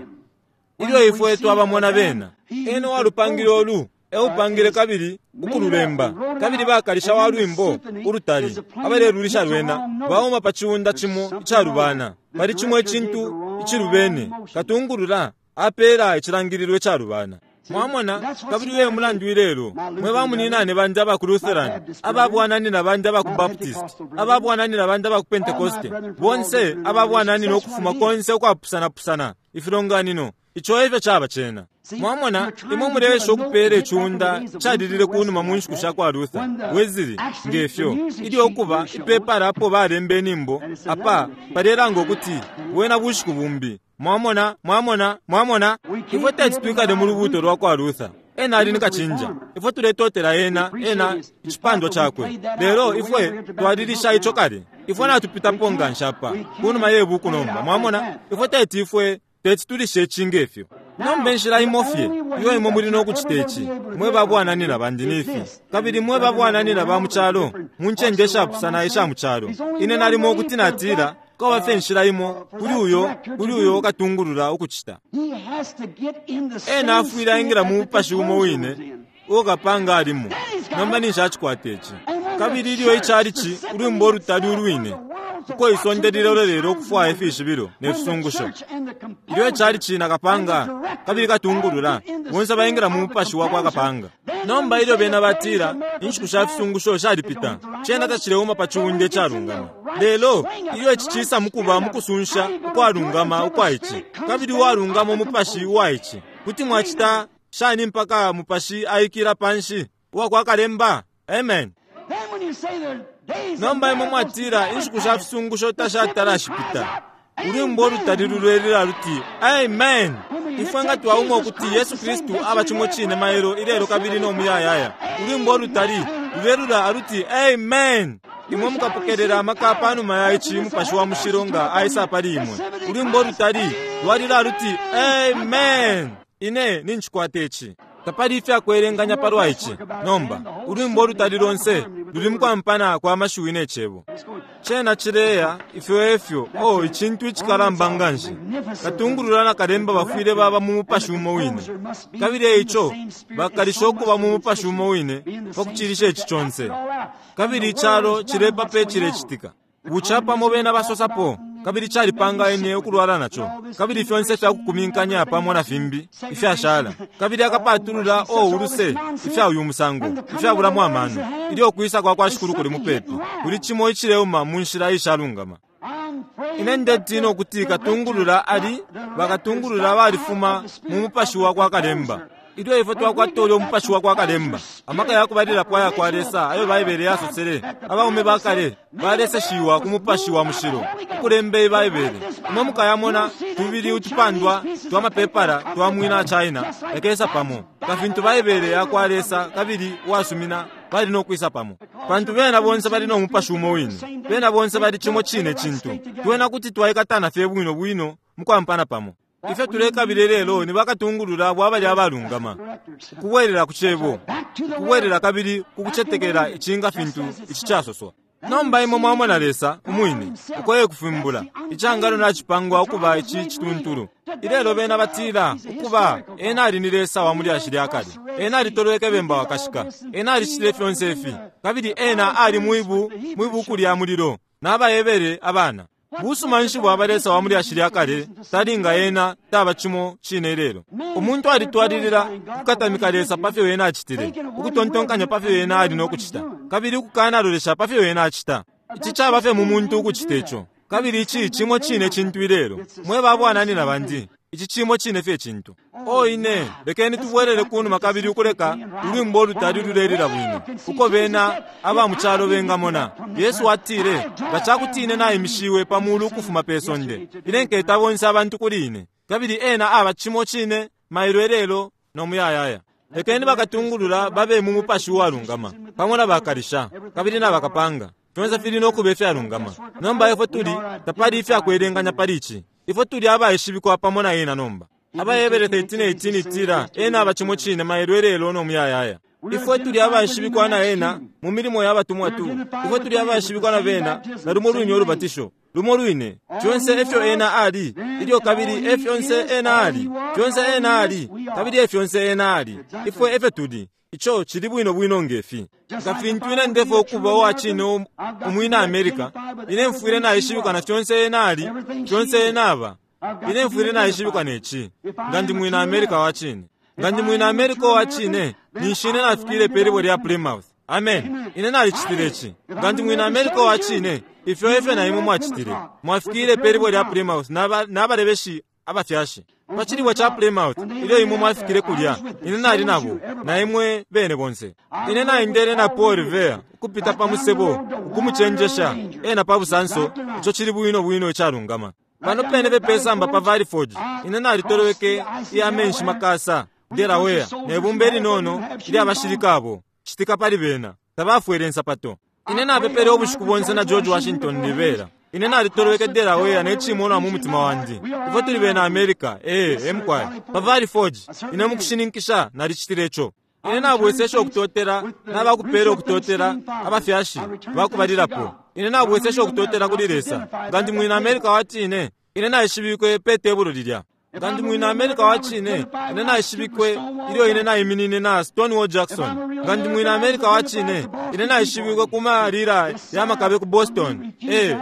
Ilyo ifwe twabamona bena, ena uwalupangile olu eupangile kabili ukululemba, kabili bakalisha wa lwimbo ulutali abalelulisha lwena bauma pa ciunda cimo icalubana. Pali cimo icintu icilubene, katungulula apela icilangililo icalubana. Mwamona, kabili uyo mulandu ilelo, mwe bamuninane bandi aba ku Lutheran, aba bwananina bandi aba ku Baptist, aba bwananina bandi aba ku Pentecoste, bonse aba bwananina ukufuma konse ukwapusana-pusana ifilonganino, ico efyo caba cena. Mwamona, imwe muleesha ukupela iciunda calilile kunuma mu nshiku sha kwa Luther, Wesley, ngefyo, ilyo ukuba ipepala apo balemba inyimbo, apa palelanga ukuti bwena bushiku bumbi. Mwamona, mwamona, mwamona, ifwe teti twikale mu lubuuto lwa kwa Luther. Ena ali ni kacinja. Ifwe tuletotela ena, ena, icipandwa cakwe. Lelo ifwe twalilisha ico kale. Ifwe natupitapo nganshi apa, kunuma ye buku nomba. Mwamona, ifwe teti ifwe teti tulishe ici ngefyo. Nomba inshila imo fye iyo imwe muli no kucita ici, mwe babwananina bandi nifi, kabili mwe babwananina ba mu calo, mu ncende ishapusana isha mu calo. Ine nalimo kuti natila, kwaba fye inshila imo kuli uyo, kuli uyo katungulula ukucita. Ena afwile aingila mu mupashi umo wine uo kapanga alimo. Nomba ninshi acikwata ici. Kabili ilyo icalici, ulwimbo ulutali ulwine, uko isonde lilolelele ukufwaya ifishibilo ne fisungusho. Ilyo icalici na kapanga kabili katungulula, bonse baingila mu mupashi wa kwa kapanga. Nomba ilyo bena batila, inshiku sha fisungusho shalipita, cena tacileuma pa ciunda icalungama. Lelo ilyo ici cisa mukuba mukusunsha ukwalungama ukwa ici, kabili uwalungama umupashi uwa ici, kuti mwacita shani mpaka mupashi aikila panshi uwa kwa kalemba? Amen. Nomba imwe mwatila inshiku sha fisungusho tashatala shipita. Ulwimbo ulutali lulelila luti amen. Ifwe nga twaumwa ukuti Yesu Kristu aba cimo cine mailo ilelo kabili no muyayaya. Ulwimbo ulutali lulelula aluti amen. Imwe mukapokelela amaka panuma ya ici Mupashi wa Mushilo nga aisa pali imwe. Ulwimbo ulutali lwalila aluti amen. Ine nincikwata ici. Tapali ifyakwelenganya palwa ici. Nomba, ulwimbo ulutali lonse luli mukwampana kwa mashiwi ne cebo. Cena cileya, ifyo efyo, oh, icintu icikalamba nganshi. Katungulula na kalemba bafwile baba mu mupashi umo wine. Kabili eico, bakalisha ukuba mu mupashi umo wine pa kucilisha ici conse. Kabili icalo cilepa icilecitika. Bucapamo bena basosapo, kabili calipanga ine ukulwala naco, kabili fyonse ifyakukuminkanya pamo na fimbi ifyashala, kabili akapatulula o uluse ifya uyu musango ifyabulamo amano. Ilyo ukwisa kwa kwa Shikulu kuli mupepi, kuli cimo icileuma mu nshila ishalungama. Ine ndetina ukuti katungulula ali bakatungulula balifuma mu mupashi wa kwa kalemba. Ilyo ifwe twakwata ulyo mupashi wa kwa kalemba, amaka yakubalilapo aya kwa Lesa ayo Baibele yasosele, abaume bakale baleseshiwa ku mupashi wa mushilo ukulemba Ibaibele. Imwe mukayamona tubili utupandwa twa mapepala twa mwina China yakesa pamo nga fintu Baibele ya kwa Lesa kabili uwasumina bali no kwisa pamo, pantu bena bonse bali no mupashi umo wine, bena bonse bali cimo cine cintu. Twena kuti twaikatana fye bwino bwino mukwampana pamo. Ifyo tulekabile lelo ni bakatungulula bwa bali abalungama, ukubwelela ku cebo, ukubwelela kabili kukucetekela icinga fintu ici casoswa. Nomba imwe mwamona Lesa umwine uko ekufimbula icangalo nacipangwa ukuba ici cituntulu. Ilelo bena batila ukuba ena ali ni Lesa wa mulyashi lya kale, ena alitolweke bemba wakashika, ena alicitile fyonse ifi, kabili ena ali mwibu mwibuku lya mulilo n'abayebele abana. Busuma nshi bwaba Lesa wa mulyashi lya kale talinga ena taba cimo cine ilelo. Umuntu alitwalilila ukukatamika Lesa pa fyo ena acitile, ukutontonkanya pa fyo ena ali no kucita, kabili ukukanalolesha pa fyo ena acita. Ici caba fye mu muntu ukucita ico, kabili ici cimo cine cintu ilelo. Mwe ba bwananyina bandi, ici cimo cine fye cintu. O ine, lekeni tubwelele kunuma kabili ukuleka ulwimbo olutali lulelila bwino, uko bena aba mu calo bengamona. Yesu atile, nga cakuti ine naimishiwe pa mulu ukufuma pe sonde, ine nketa bonse abantu kuli ine. Kabili ena aba cimo cine mailo ilelo no muyayaya. Lekeni bakatungulula babe mu mupashi uwalungama, pamo na bakalisha kabili na bakapanga. Fyonse fili no kuba ifyalungama. Nomba ifwe tuli, tapali ifyakwelenganya pali ici. Ifwe tuli abaishibikwa pamo na ena nomba. Abayebele 13:18 itila ena aba cimo cine mailo ilelo no muyayaya. Ifwe tuli abaishibikwa na ena mu milimo ya batumwa tu. Ifwe tuli abaishibikwa na bena na lumo lwine ulubatisho, lumo lwine. Fyonse efyo ena ali ilyo kabili efyonse ena ali, fyonse ena ali kabili efyonse ena ali. Ifwe efyo tuli. Ico cili bwino bwino ngefi. Nga fintu ine ndefo ukuba uwa cine umwina America, ine mfwile naishibikwa na fyonse ena ali, fyonse ena aba. Ine mfwile naishibikwa neci, nga ndi mwina America wa cine. Nga ndi mwina America wa cine, ninshi ine nafikile pe libwe lya Plymouth. Amen. Ine nalicitile ici. Nga ndi mwina America wa cine, ifyo efyo na imwe mwacitile. Mwafikile pe libwe lya Plymouth n'abalebeshi abafyashi. Pa cilibwe ca Plymouth, ilyo imwe mwafikile kulya, ine nali nabo, na imwe bene bonse. Ine naendele na Paul Revere ukupita pa musebo, ukumucenjesha ena pa busanso, ico cili bwino bwino icalungama. Pano pene pepesamba pa Valley Forge, ine nalitoloweke iya menshi makasa, Delaware, ne bumba ilinono ilya bashilika abo, citika pali bena, tabafwele nsapato. Ine napepele ubushiku bonse na George Washington Rivera. Ine nalitoloweke Delaware ne cimonwa mu mutima wandi. Ifwe tuli bena America, emkwai. Pa Valley Forge, ine mukushininkisha nalicitile ico. Ine nabwesesha ukutotela n'abakupela ukutotela abafyashi bakubalilapo. Ine nabwesesha ukutotela kuli Lesa. Nga ndi mwina America wa cine, ine naishibikwe pe tebulo lilya. Nga ndi mwina America wa cine, ine naishibikwe ilyo ine naiminine na Stonewall Jackson. Nga ndi mwina America wa cine, ine naishibikwe ku malila ya makabe ku Boston.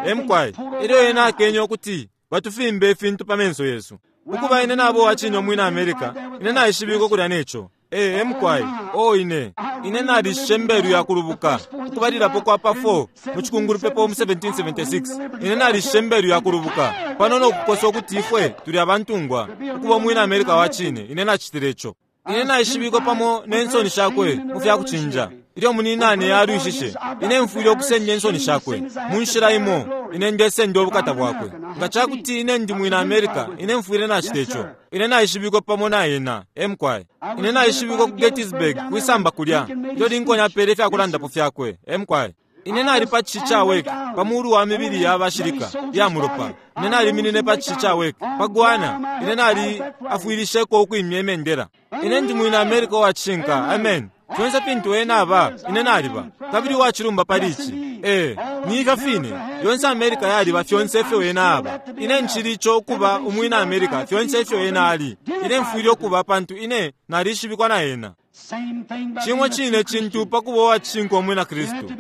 Emkwai. Ilyo ine akenye ukuti batufimbe ifintu pa menso yesu. Ukuba ine nabo wa cine umwina America, ine naishibikwe kulya neco. Emkwai. O ine. Ine nalishe mbelu ya kulubuka. Ukubalilapo kwa pa 4 mu cikungulupepo mu 1776. Ine nalishe mbelu ya kulubuka. Pano no kukosa ukuti ifwe tuli abantungwa. Ukuba umwina America wa cine, ine nacitile ico. Ine naishibikwe pamo ne nsoni shakwe mu fya kucinja. Ilyo muninane yalwishishe, ine mfwile ukusenda insoni shakwe. Mu nshila imo, ine ndesenda ubukata bwakwe. Nga cakuti ine ndi mwina America, ine mfwile nacita ico. Ine naishibikwe pamo na ena, emkwai. Ine naishibikwe ku Gettysburg, kwisamba kulya. Ilyo Lincoln apele ifyakulandapo fyakwe, emkwai. Ine nali pa cishi ca Wake, pa mulu wa mibili ya bashilika ya mulopa. Ine naliminine pa cishi ca Wake, pa Guana. Ine nali afwilisheko ukwimya imendela. Ine ndi mwina America wa cishinka, amen. Fyonse fintu ena aba, ine naliba. Kabili uwacilumba pali ici. Ni ifyo fine. Yonse America yaliba fyonse ifyo ena aba. Ine nchili ico ukuba umwina America fyonse ifyo ena ali. Ine mfwile ukuba pantu ine nalishibikwa na ena. Cimo cine cintu pa kuba uwacishinka umwina Kristu.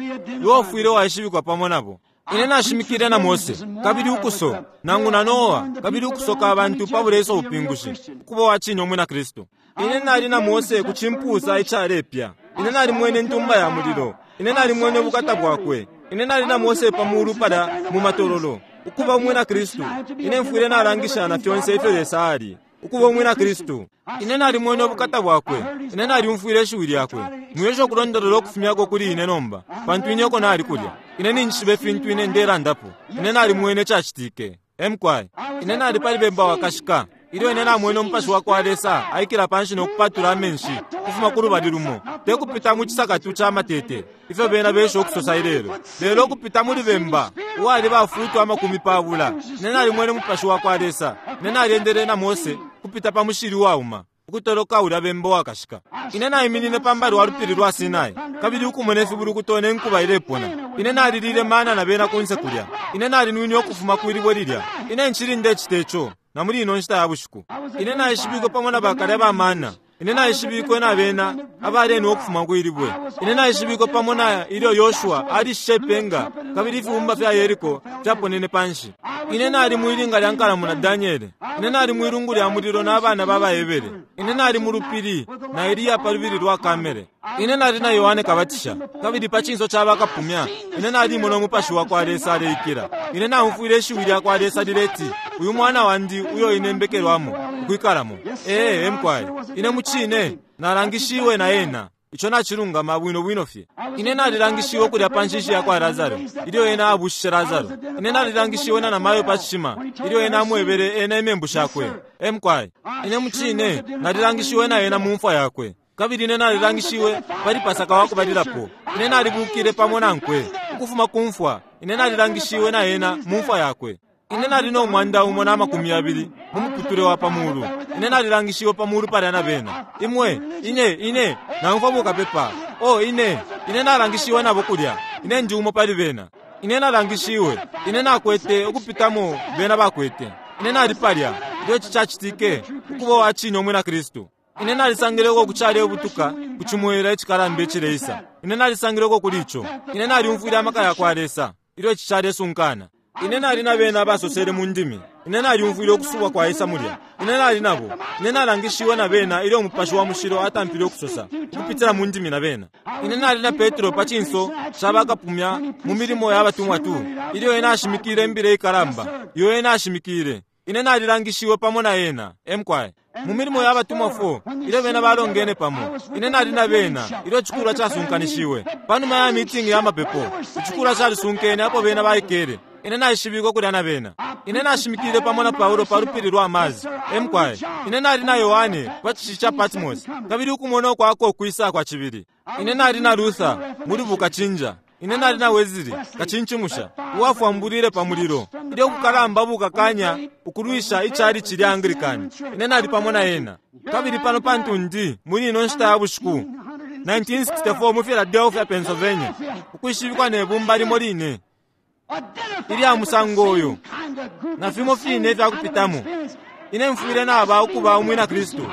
Iwe ufwile waishibikwa pamo nabo. Ine nashimikile na Mose, kabili ukuso, nangu na Noa, kabili ukusoka abantu pa buleso ubupingushi, ukuba uwacine umwina Kristu. Ine nali na Mose ku cimpusa icalepya. Ine nalimwene intumba ya mulilo. Ine nalimwene ubukata bwakwe. Ine nali na Mose pa mulu pala mu matololo. Ukuba umwina Kristu, ine mfwile nalangisha na fyonse ifyo Lesa ali. ukuba umwina Kristu. Ine nalimwene ubukata bwakwe. Ine nalyumfwile ishiwi lyakwe. Mwiesha ukulondolola ukufumyako kuli ine nomba, pantu ine uko nali kulya. Ine ninjishiba ifintu ine ndelandapo. Ine nalimwene icacitike. Emkwai. Ine nali pali bemba wakashika. Ilyo ine namwene umupashi wa kwa Lesa aikila panshi no kupatula amenshi ukufuma ku lubali lumo, te kupita mu cisakatu ca matete ifyo bena besha ukusosa ilelo, lelo ukupita muli bemba uwali bafutu 20. Ine nalimwene umupashi wa kwa Lesa. Ine nalyendele na Mose kupita pa mushili uwauma, ukutoloka ulya bemba wakashika. Ine naiminine pambali wa lupili lwa Sinai, kabili ukumona ifibulukuto ne nkuba ilepona. Ine nalilile mana na bena kunse kulya. Ine nalinwine ukufuma kwilibwe lilya. Ine nchili ndecita ico na muli ino nshita ya bushiku. Ine naishibikwe pamo na bakalya ba mana. Ine naishibikwe na bena abalenwa ukufuma kwilibwe. Ine naishibikwe pamo na ilyo Yoshua alishishe ipenga kabili ifibumba fya Yeriko fyaponene panshi. Ine nali mwilinga lya nkalamu na Daniele. Ine nali mwilungu lya mulilo na abana ba baHebere. Ine nali mu lupili na Eliya pa lubili lwa Kamele. Ine nali na Yohane Kabatisha kabili pa cinso ca bakapumya. Ine nalimona umupashi wa kwa Lesa aleikila. Ine naumfwile ishiwi lya kwa Lesa lileti, uyu mwana wandi uyo ine mbekelwamo ukwikalamo. Ee, emkwai. Ine mucine nalangishiwe na ena. Ico nacilungama bwino bwino fye. Ine nalilangishiwe kulya pa nshishi ya kwa Lazaro ilyo ena abushishe Lazaro. Ine nalilangishiwe na namayo pa cishima ilyo ena amwebele ena imembu shakwe. Emkwai. Ine mucine nalilangishiwe na ena mu mfwa yakwe. Kabili ine nalilangishiwe pali Pasaka wakubalilapo. Ine nalibukile pamo nankwe ukufuma ku mfwa. Ine nalilangishiwe na ena mu mfwa yakwe. Ine nali no 120 mu muputule wa pamulu. Ine nalilangishiwe pamulu palya na bena. Imwe, ine, ine, naumfwa bukapepa. Oh, ine, ine nalangishiwe nabo kulya. Ine ndi umo pali bena. Ine nalangishiwe. Ine nakwete ukupitamo bena bakwete. Ine nali palya ilyo ici cacitike ukuba uwacine umwina Kristu. Ine nalisangileko kucale ubutuka kucimwela icikalamba icileisa. Ine nalisangileko kuli ico. Ine nalyumfwile amaka ya kwa Lesa ilyo ici calesunkana. Ine nali na bena abasosele mu ndimi. Ine nalyumfwile ukusubwa kwa Isa mulya. Ine nali nabo. Ine nalangishiwe na bena ilyo umupashi wa mushilo atampile ukusosa ukupitila mu ndimi na bena. Ine nali na Petro pa cinso ca bakapumya mu milimo ya batumwa tu ilyo ena ashimikile imbila ikalamba iyo ena ashimikile. Ine nalilangishiwe pamo na ena. Emkwai. Mu milimo ya batumwa 4 ilyo bena balongene pamo. Ine nali na bena ilyo icikulwa casunkanishiwe. Panuma ya mitingi ya mapepo, icikulwa calisunkene apo bena baikele. Ine naishibikwe kulya na bena. Ine nashimikile pamo na Paulo pa lupili lwa Amazi. Emkwai. Ine nali na Yohane pa cishi ca Patmos, kabili ukumona ukwako ukwisa kwa cibili. Ine nali na Luther muli bukacinja. Ine nali na Wesley kacinchimusha uwafwambulile pa mulilo ilyo kukalamba bukakanya ukulwisha icali cilya Anglican. Ine nali pamo na ena. Kabili pano pantu ndi muli ino nshita ya bushiku 1964 mu Philadelphia, Pennsylvania, ukwishibikwa ne bumba limo line ilya musango uyu na fimo fine ifyakupitamo. Ine mfwile naba ukuba umwina Kristu.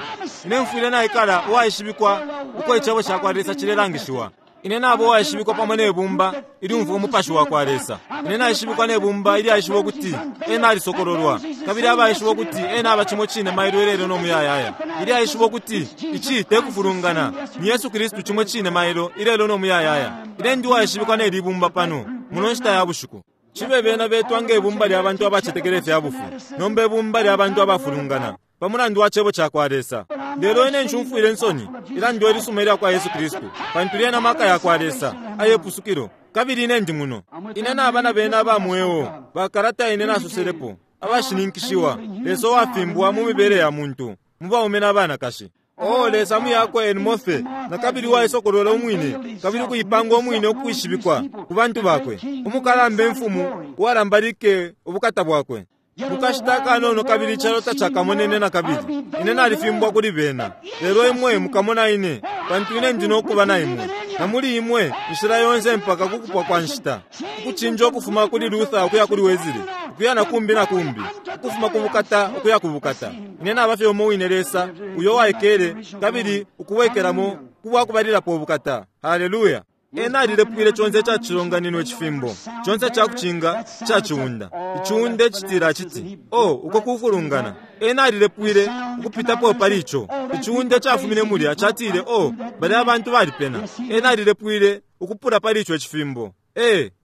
Ine mfwile naikala uwaishibikwa uko icebo ca kwa Lesa cilelangishiwa. Ine nabo uwaishibikwa pamo ne bumba ilyumfwa umupashi wa kwa Lesa. Ine naishibikwa ne bumba ilyaishiba ukuti ena alisokololwa, kabili abaishiba ukuti ena aba cimo cine mailo ilelo no muyayaya. Ilyaishiba ukuti ici te kufulungana, ni Yesu Kristu cimo cine mailo ilelo no muyayaya. Ine ndi uwaishibikwa ne libumba pano muno nshita ya bushiku. Cibe bena betwa nge bumba lya bantu abacetekela ifya bufi, nomba ibumba lya bantu abafulungana pa mulandu wa cebo ca kwa Lesa. Lelo ine nshumfwile insoni ilandwe ilisuma ilya kwa Yesu Kristu, pantu lyena maka ya kwa Lesa ayepusukilo. Kabili ine ndi muno. Ine naba na bena aba mweo bakalata ine nasoselepo abashininkishiwa Lesa uwafimbwa mu mibele ya muntu mu baume na banakashi. Oh, Lesa muyakwe enimofe na kabili uwaisokolola umwine kabili ukuipanga umwine ukwishibikwa ku bantu bakwe. Umukalamba imfumu uwalambalike ubukata bwakwe. Mukashita kanono kabili icalo tacakamonene na kabili. Ine nalifimbwa kuli bena. Lelo imwe mukamona ine, pantu ine ndi nokuba na imwe. Na muli imwe inshila yonse mpaka kukupwa kwa nshita. Ukucinja ukufuma kuli Luther ukuya kuli Wesley, ukuya na kumbi na kumbi, ukufuma ku bukata ukuya ku bukata. Ine naba fye umo wine Lesa uyo waikele kabili ukubwekelamo kubwakubalilapo ubukata. Haleluya! Ena alilepwile conse ca cilonganino icifimbo, conse ca kucinga ca ciunda. Iciunda icitila citi, oh, uko kufulungana. Ena alilepwile ukupitapo pali ico. Iciunda cafumine mulya catile, oh, balya abantu balipena. Ena alilepwile ukupula pali ico icifimbo.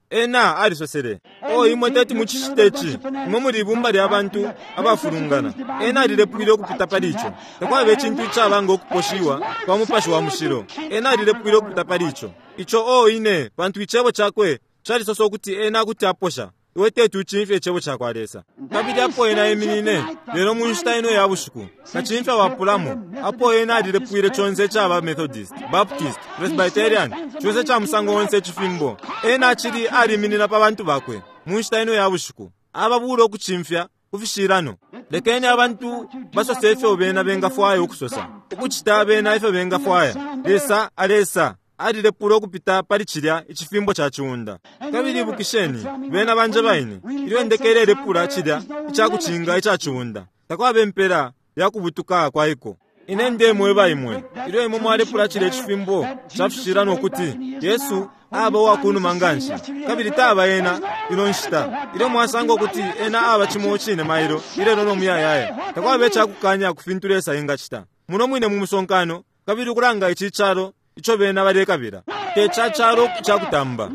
Ena alisosele, O imwe teti mucicite ici, imwe muli ibumba lya bantu abafulungana. Ena alilepwile ukupita pali ico. Takwaba icintu icaba ngo kuposhiwa kwa Mupashi wa Mushilo. Ena alilepwile ukupita pali ico. Ico, o ine, pantu Icebo Cakwe calisosa ukuti Ena kuti aposha. Iwe teti ucimfye Icebo cakwa Lesa. Kabili apo Ena eminine, lelo mu nshita ino ya bushiku, Kacimfya wapulamo, apo Ena alilepwile conse icaba Methodist, Baptist, Presbyterian, conse ica musango onse icifimbo, Ena acili aliminina pa bantu Bakwe, mu nshita ino ya bushiku, ababula ukucimfya ku fishilano. Lekeni abantu basose ifyo bena bengafwaya ukusosa, ukucita bena ifyo bengafwaya. Lesa alesa. Alilepula ukupita pali cilya icifimbo ca ciunda. Kabili ibukisheni, bena banjeba ine, ilyo indeke ilelepula cilya icakucinga ica ciunda, takwaba impela ya kubutuka kwa iko. Ine ndemweba imwe, ilyo imwe mwalepula cilya icifimbo ca fishilano ukuti Yesu aba uwa kunuma nganshi, kabili taba Ena ino nshita, ilyo mwasanga ukuti Ena aba cimo cine mailo, ilelo no muyayaya, takwaba icakukanya ku fintu Lesa engacita. Muno mwine mu musonkano, kabili ukulanga ici calo ico bena balekabila, te ca calo ica kutamba,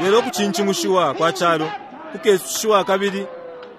lelo ukucincimushiwa kwa calo kukesushiwa kabili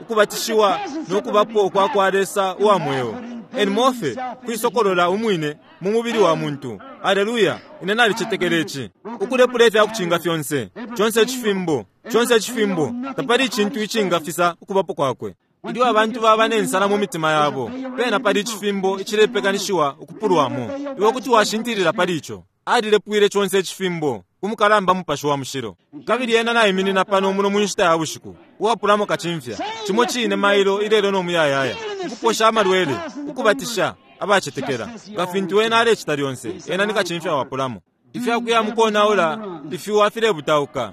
ukubatishiwa no kubapo kwa kwa Lesa uwa mweo, en morphe, kuisokolola umwine mu mubili wa muntu. Aleluya! Ine nalicetekela ici. Ukulepula ifya kucinga fyonse, conse icifimbo, conse icifimbo, tapali icintu icingafisa ukubapo kwakwe. Ilyo abantu baba ne nsala mu mitima yabo, pena pali icifimbo icilepekanishiwa ukupulwamo. Iwe kuti washintilila pali ico. Alilepwile conse icifimbo ku mukalamba Mupashi wa Mushilo. Kabili Ena naiminina pano muno mu nshita ya bushiku, uwapulamo kacimfya, cimo cine mailo, ilelo no muyayaya, ukuposha amalwele, ukubatisha abacetekela, nga fintu Ena alecita lyonse. Ena ni kacimfya wapulamo. Ifyakuya mukonaula ifiwa filebutauka.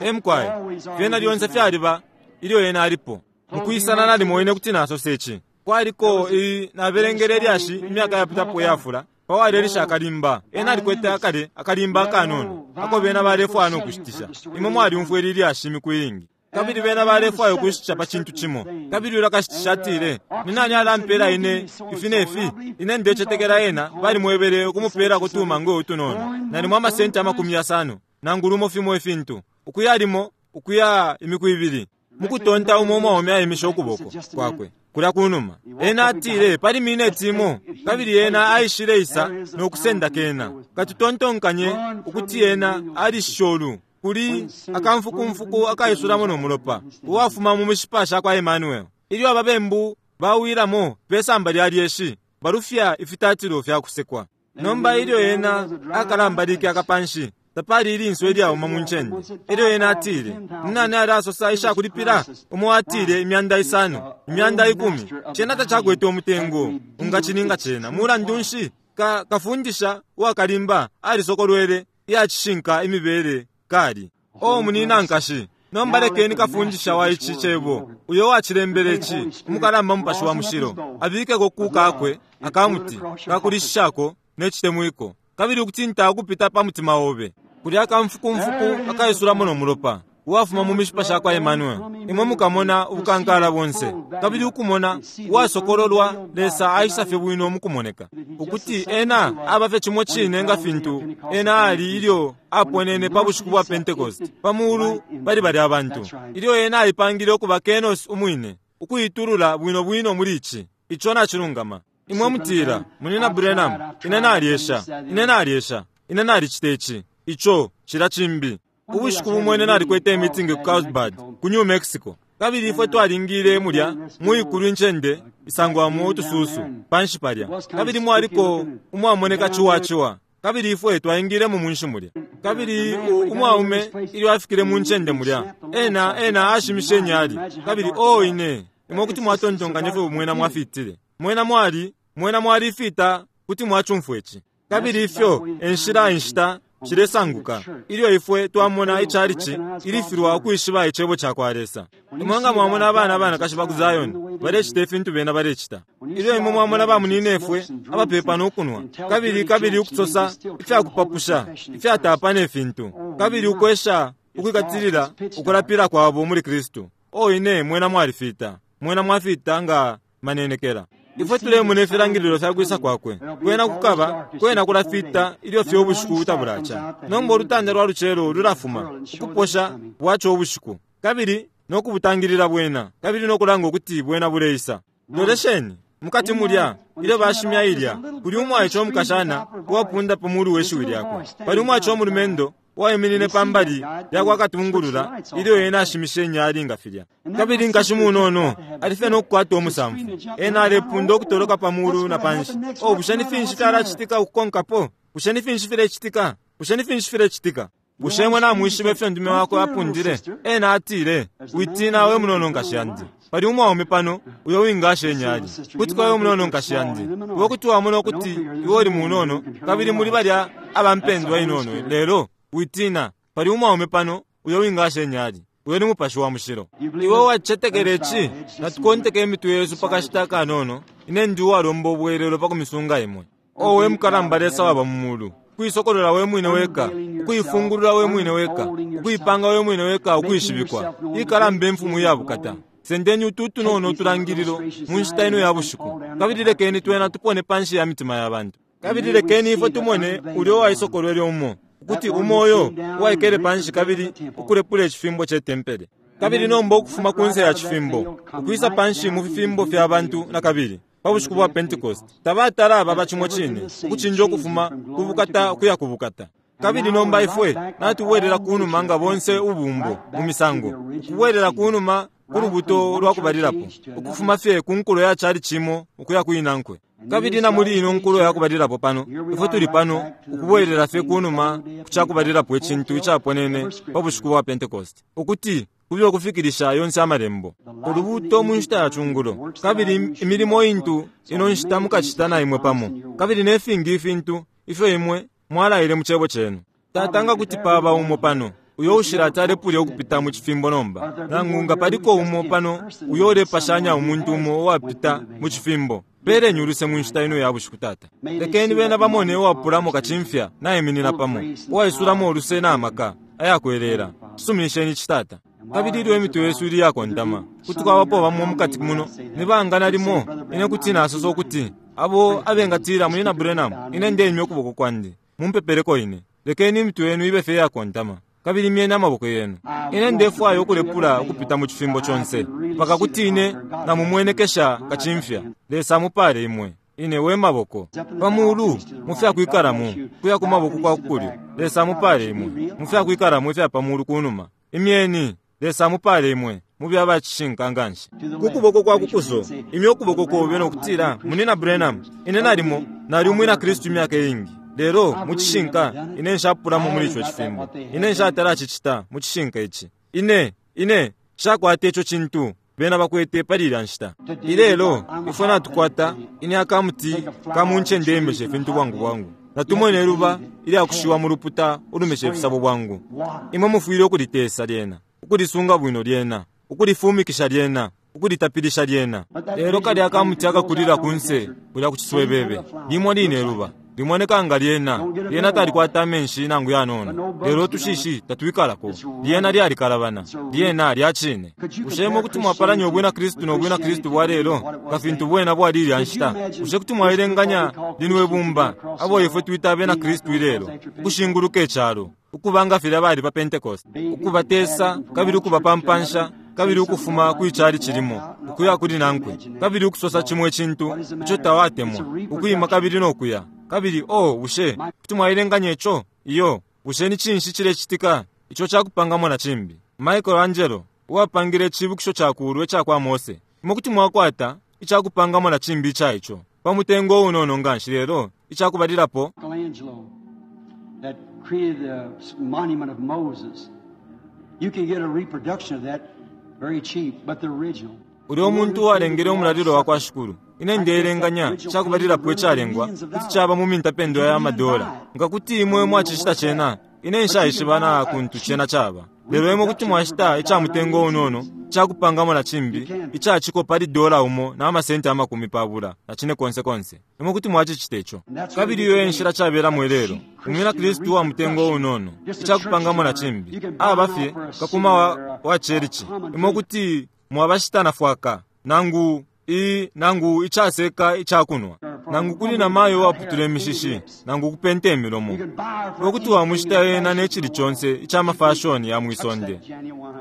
E mukwai, fyena lyonse fyaliba ilyo Ena alipo. Mukwisana nalimo ine kuti nasosa ici. Kwaliko i, nabelengele ilyashi imyaka yapitapo iyafula pa walelisha akalimba. Ena alikwete akale akalimba akanono ako bena balefwaya no kushitisha. Imwe mwalyumfwa ili lyashi imiku iingi. Kabili bena balefwaya ukushitisha pa cintu cimo. Kabili ulya kashitisha atile, Ni nani alampela ine ifi ne fi? Ine ndecetekela ena balimwebele ukumupelako tumangwe utunono, nalimo amasenti 50, nangu lumo fimo ifintu, ukuya limo ukuya imiku ibili. Mukutonta umo umwaume aimishe ukuboko kwakwe kulya kunuma. Ena atile, Pali mineti imo, kabili ena aishile isa no kusenda kena. Katutontonkanye ukuti ena alishishe ulu kuli akamfukumfuku akaisulamo no mulopa uwafuma mu mishipa shakwa Emmanuel. Ilyo ababembu bawilamo pe samba lya lyeshi, balufya ifitatilo fya kusekwa. Nomba ilyo ena akalambalike akapanshi, tapali ilinso ilyauma mu ncende. Elyo ena atile, Ninani alasosa ishakulipila? Umo atile, 5,000, 10,000. Cena tacakwete umutengo ungacininga cena. Mulandu nshi, ka, kafundisha uwakalimba alisokolwele iyacishinka imibele kali. O munina nkashi, nomba lekeni kafundisha wa ici Cebo, uyo uwacilembele ici, umukalamba Mupashi wa Mushilo, abikeko ku kakwe akamuti kakulishishako ne citemwiko, kabili ukutinta ukupita pa mutima obe. Kulya akamfukumfuku akaisulamo no mulopa, uwafuma mu mishipa shakwa Emmanuel, imwe mukamona ubukankala bonse, kabili ukumona uwasokololwa Lesa aisa fye bwino mukumoneka, ukuti Ena aba fye cimo cine nga fintu Ena ali ilyo Aponene pa bushiku bwa Pentecost pa mulu pali balya bantu, ilyo Ena aipangile ukuba kenos Umwine, ukuitulula bwino bwino muli ici. Ico nacilungama. Imwe mutila, Munyina Branham, ine nalyesha, ine nalyesha, ine nalicita ici, ico, cilya cimbi. Ubushiku bumo ine nalikwete imitingi ku Carlsbad, ku New Mexico. Kabili ifwe twalingile mulya mu ikulu incende isangwamo utususu panshi palya, kabili mwaliko umwamoneka ciwa ciwa. Kabili ifwe twaingilemo munshi mulya. Kabili u, umwaume ilyo afikile mu ncende mulya, ena, ena ashimishe inyali. Kabili, oh, ine, imwe kuti mwatontonkanya ifyo mwena mwafitile. Mwena mwali, mwena mwali ifita, kuti mwacumfwa ici. Kabili ifyo e nshila inshita shilesanguka, ilyo ifwe twamona ichalichi ilifilwa ukwishiba Icebo cakwa Lesa. Imwe nga mwamona abana abanakashi ba ku Zion balecita ifintu bena balecita, ilyo imwe mwamona ba munyinefwe abapepa no kunwa, kabili, kabili ukusosa ifyakupapusha ifyatapa ne fintu, kabili ukwesha ukwikatilila ukulapila kwabo muli Kristu, oh, ine, mwena mwalifita, mwena mwafita nga manenekela. Ifwe tulemona ifilangililo fya kwisa Kwakwe. Kwena kukaba, kwena kulafita ilyo fye ubushiku tabulaca. Nomba ulutanda lwa lucelo lulafuma, ukuposha bwaca ubushiku, kabili no kubutangilila bwena, kabili no kulanga ukuti bwena buleisa. Lolesheni, mukati mulya, ilyo bashimya ilya, kuli umwaice umukashana uwapunda pa mulu we shiwi lyakwe. Pali umwaice umulumendo uwaiminine pa mbali ya kwa katungulula ilyo ena ashimishe inyali nga filya. Kabili nkashi munono ali fye no kukwata umusamfu. Ena alepunda ukutoloka pa mulu na panshi. Oh, bushe ni finshi fyalacitika ukukonkapo? Bushe ni finshi filecitika? Bushe ni finshi filecitika? Bushe imwe namwishiba ifyo ndume wakwe apundile? Ena atile, Witina, we munono nkashi yandi. Pali umwaume pano uyo wingasha inyali. Kuti kwa we munono nkashi yandi. Iwe kuti wamona ukuti iwe uli munono, kabili muli balya aba mpendwa inono. Lelo, witina, pali umwaume pano uyo wingasha inyali. Uyo ni Mupashi wa Mushilo. Iwe wacetekela ici? Natukonteke imitwe yesu pa kashita akanono. Ine ndi uwalomba ubwelelo pa kumisunga imwe. O we mukalamba Lesa waba mu mulu, ukuisokolola we mwine weka, ukuifungulula we mwine weka, ukuipanga we mwine weka ukwishibikwa, ikalamba Imfumu iya bukata. Sendeni utu utunono utulangililo mu nshita ino ya bushiku, kabili lekeni twena tupone panshi ya mitima ya bantu. Kabili lekeni ifwe tumone ulya uwaisokolwele umo, ukuti umo uyo uwaikele panshi kabili ukulepula icifimbo ce tempele. Kabili nomba ukufuma kunse ya cifimbo, ukwisa panshi mu fifimbo fya bantu nakabili, pa bushiku bwa Pentecost, tabatala ababa cimo cine, ukucinja ukufuma ku bukata ukuya ku bukata. Kabili nomba ifwe natubwelela kunuma nga bonse ubumbo mu misango, ukubwelela kunuma ku lubuto lwa kubalilapo, ukufuma fye ku nkulo ya cali cimo ukuya ku inankwe. Kabili na muli ino nkulo ya kubalilapo pano, ifwe tuli pano ukubwelela fye kunuma ku ca kubalilapo icintu icaponene pa bushiku bwa Pentecost, ukuti kube ukufikilisha yonse Amalembo. Ulubuuto mu nshita ya cungulo, kabili imilimo intu ino nshita mukacita na imwe pamo, kabili ne fingi ifintu ifyo imwe mwalaile mu Cebo Cenu. Tata, nga kuti paba umo pano uyo ushilati alepulya ukupita mu cifimbo nomba, nangu nga paliko umo pano uyo ulepashanya umuntu umo uwapita mu cifimbo, peleni uluse mu nshita ino ya bushiku, Tata. Lekeni bena bamone uwapulamo kacimfya naiminina pamo, uwaisulamo uluse na maka ayakwelela. Suminisheni ici, Tata. Kabili ilyo imitwe yesu ili iyakontama, kuti kwabapo bamo mukati muno, ni banga nalimo ine kuti nasosa ukuti, abo abengatila, Munyina Branham, ine ndeimya ukuboko kwandi, mumpepeleko ine. Lekeni imitwe yenu ibe fye iyakontama, kabili imyeni amaboko yenu. Ine ndefwaya ukulepula ukupita mu cifimbo conse, mpaka kuti ine namumwenekesha kacimfya. Lesa amupale imwe. Ine we maboko pa mulu mu fyakwikalamo, kuya ku maboko kwa kukulyo. Lesa amupale imwe mu fyakwikalamo ifya pa mulu kunuma. Imyeni. Lesa amupale imwe, mube aba cishinka nganshi. Ku kuboko kwa kukuso, imya ukuboko kobe no kutila, Munyina Branham, ine nalimo nali umwina Kristu imyaka iingi, lelo mu cishinka ine nshapulamo muli ico cifimbo. Ine nshatala cicita mu cishinka ici. Ine, ine nshakwata ico cintu bena bakwete pali ilya nshita. Ilelo ifwe natukwata ine akamuti ka mu ncende imesha ifintu bwangu bwangu. Natumwene iluba ilyakushiwa mu luputa ulumesha ifisabo bwangu. Imwe mufwile ukulitesa lyena, ukulisunga bwino lyena, ukulifumikisha lyena, ukulitapilisha lyena. Lelo kalya akamuti akakulila kunse kulya ku ciswebebe, limo line iluba limoneka nga lyena, lyena talikwata amenshi nangu yanono, lelo utushishi tatwikalako. Lyena lyalikalabana, lyena lya cine. Bushe imwe kuti mwapalanya ubwina Kristu no bwina Kristu bwa lelo nga fintu bwena bwali ilya nshita? Bushe kuti mwaelenganya lino ibumba, abo ifwe twita abena Kristu ilelo, ukushinguluka icalo, ukuba nga filya bali pa Pentecost, ukubatesa kabili ukubapampansha, kabili ukufuma kwi calici limo ukuya kuli nankwe, kabili ukusosa cimo icintu ico tawatemwa, ukwima kabili no kuya, kabili, oh, bushe kuti mwaelenganya ico? Iyo. Bushe ni cinshi cilecitika? Ico cakupangamo na cimbi. Michelangelo, uwapangile icibukisho cakuulwa ica kwa Mose. Imwe kuti mwakwata icakupangamo na cimbi ica ico pa mutengo uunono nganshi, lelo icakubalilapo. Michelangelo that created the monument of Moses. You can get a reproduction of that very cheap, but the original. Ulya umuntu uwalengele umulalilo wa kwa Shikulu. Ine ndeelenganya icakubalilapo icalengwa kuti caba mu mintapendwa ya madola. Nga kuti imwe mwacicita cena, ine nshaishiba na kuntu cena caba. Lelo imwe kuti mwashita ica mutengo unono icakupangamo na cimbi ica ciko pali dola umo na amasenti amakumi pabula na cine konse konse. Imwe kuti mwacicita ico. Kabili iyo e nshila cabelamo ilelo. Umwina Kristu uwa mutengo unono, icakupangamo na cimbi, aba fye kakuma wa, wa cherici. Imwe kuti mwabashita na fwaka, nangu I, nangu icaseka icakunwa, nangu kuli na mayo uwaputula imishishi, nangu ukupenta imilomo. Iwe kuti wamushita ena ne cili conse ica mafashoni ya mwisonde,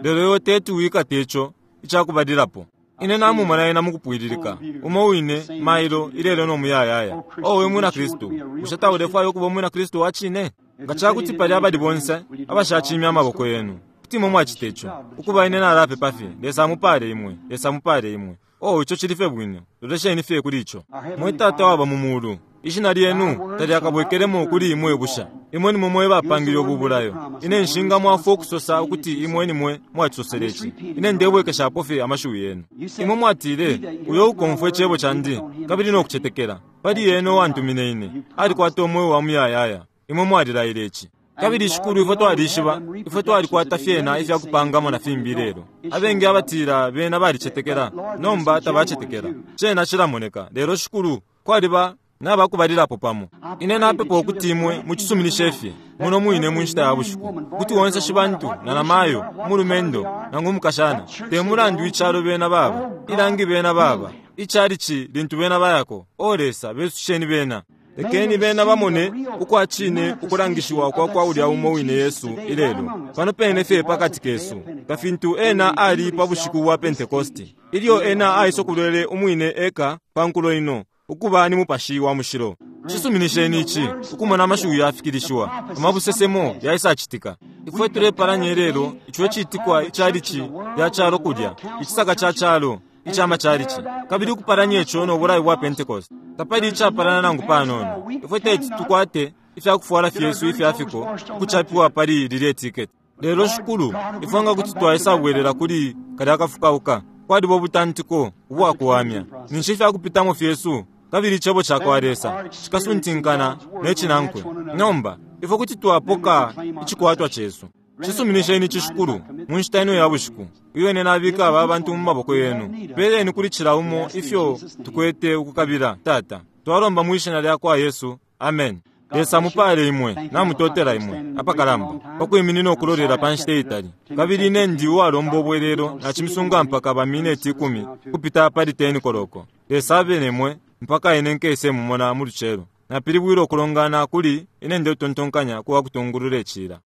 lelo iwe teti wikate ico icakubalilapo. Ine namumona ena mukupwililika, umo wine, mailo, ilelo no muyayaya. O we mwina Kristu, bushe taulefwaya ukuba umwina Kristu wa cine? Nga cakuti pali abali bonse abashacimya amaboko yenu, kuti imwe mwacita ico. Ukuba ine nalapepa fye, Lesa amupale imwe, Lesa amupale imwe. Oh, ico cili fye bwino. Lolesheni fye kuli ico. Mwe Tata waba mu Mulu, Ishina lyenu talyakabwekelemo kuli imwe busha. Imwe nimwe mwe bapangile ubu bulayo. Ine nshingamwafwa ukusosa ukuti imwe nimwe mwacisosele ici. Ine ndebwekeshapo fye amashiwi yenu. Imwe mwatile, Uyo ukomfwa icebo candi kabili no kucetekela pali ena uwantumine ine, alikwata umweo wa muyayaya. Imwe mwalilaile ici. Kabili, Shikulu, ifwe twalishiba, ifwe twalikwata fyena ifya kupangamo na fimbi ilelo. Abengi abatila bena balicetekela, nomba tabacetekela. Cena cilamoneka. Lelo, Shikulu, kwaliba nabakubalilapo pamo. Ine napepa ukuti Imwe mucisuminishe fye, muno mwine mu nshita ya bushiku, ukuti onse shibantu, na namayo, umulumendo, nangu umukashana, te mulandu icalo bena baba, ilangi bena baba, ichalichi lintu bena bayako, O Lesa, besusheni bena. Lekeni bena bamone ukwa cine ukulangishiwa kwa kwa ulya umo wine Yesu ilelo, pano pene fye pakati kesu, nga fintu Ena ali pa bushiku bwa Pentekoste, ilyo Ena aisokolwele umwine eka pa nkulo ino, ukuba ni Mupashi wa Mushilo. Cisuminisheni ici, ukumona amashiwi yafikilishiwa, amabusesemo yaisacitika. Ifwe tulepalanya ilelo ico icitikwa ichalichi lya calo kulya, icisaka ca calo ica machalichi, kabili ukupalanya ico no bulayo bwa Pentekoste. Tapali icapalana nangu panono. Ifwe teti tukwate ifyakufwala fyesu ifya fiko ukucapiwa pali lilye tiketi. Lelo, Shikulu, ifwe nga kuti twaisabwelela kuli kalya kafukauka, kwaliba ubutantiko ubwakuwamya, ninshi ifyakupitamo fyesu kabili Icebo cakwa Lesa cikasuntinkana ne cinankwe. Nomba ifwe kuti twapoka icikwatwa cesu. Cisuminisheni ici, Shikulu, mu nshita ino ya bushiku, iyo ine nabika aba bantu mu maboko yenu. Peleni kuli cila umo ifyo tukwete ukukabila, Tata. Twalomba mwi Shina lyakwa Yesu. Amen. Lesa amupale imwe. Namutotela imwe apakalamba pa kwiminina ukulolela pa nshita itali. Kabili ine ndi uwalomba ubwelelo, nacimisunga mpaka ba mineti 10 kupita pali 10 koloko. Lesa abe nemwe mpaka ine nkese mumona mu lucelo. Napilibwile ukulongana kuli ine ndetontonkanya kuwa kutungulula icila.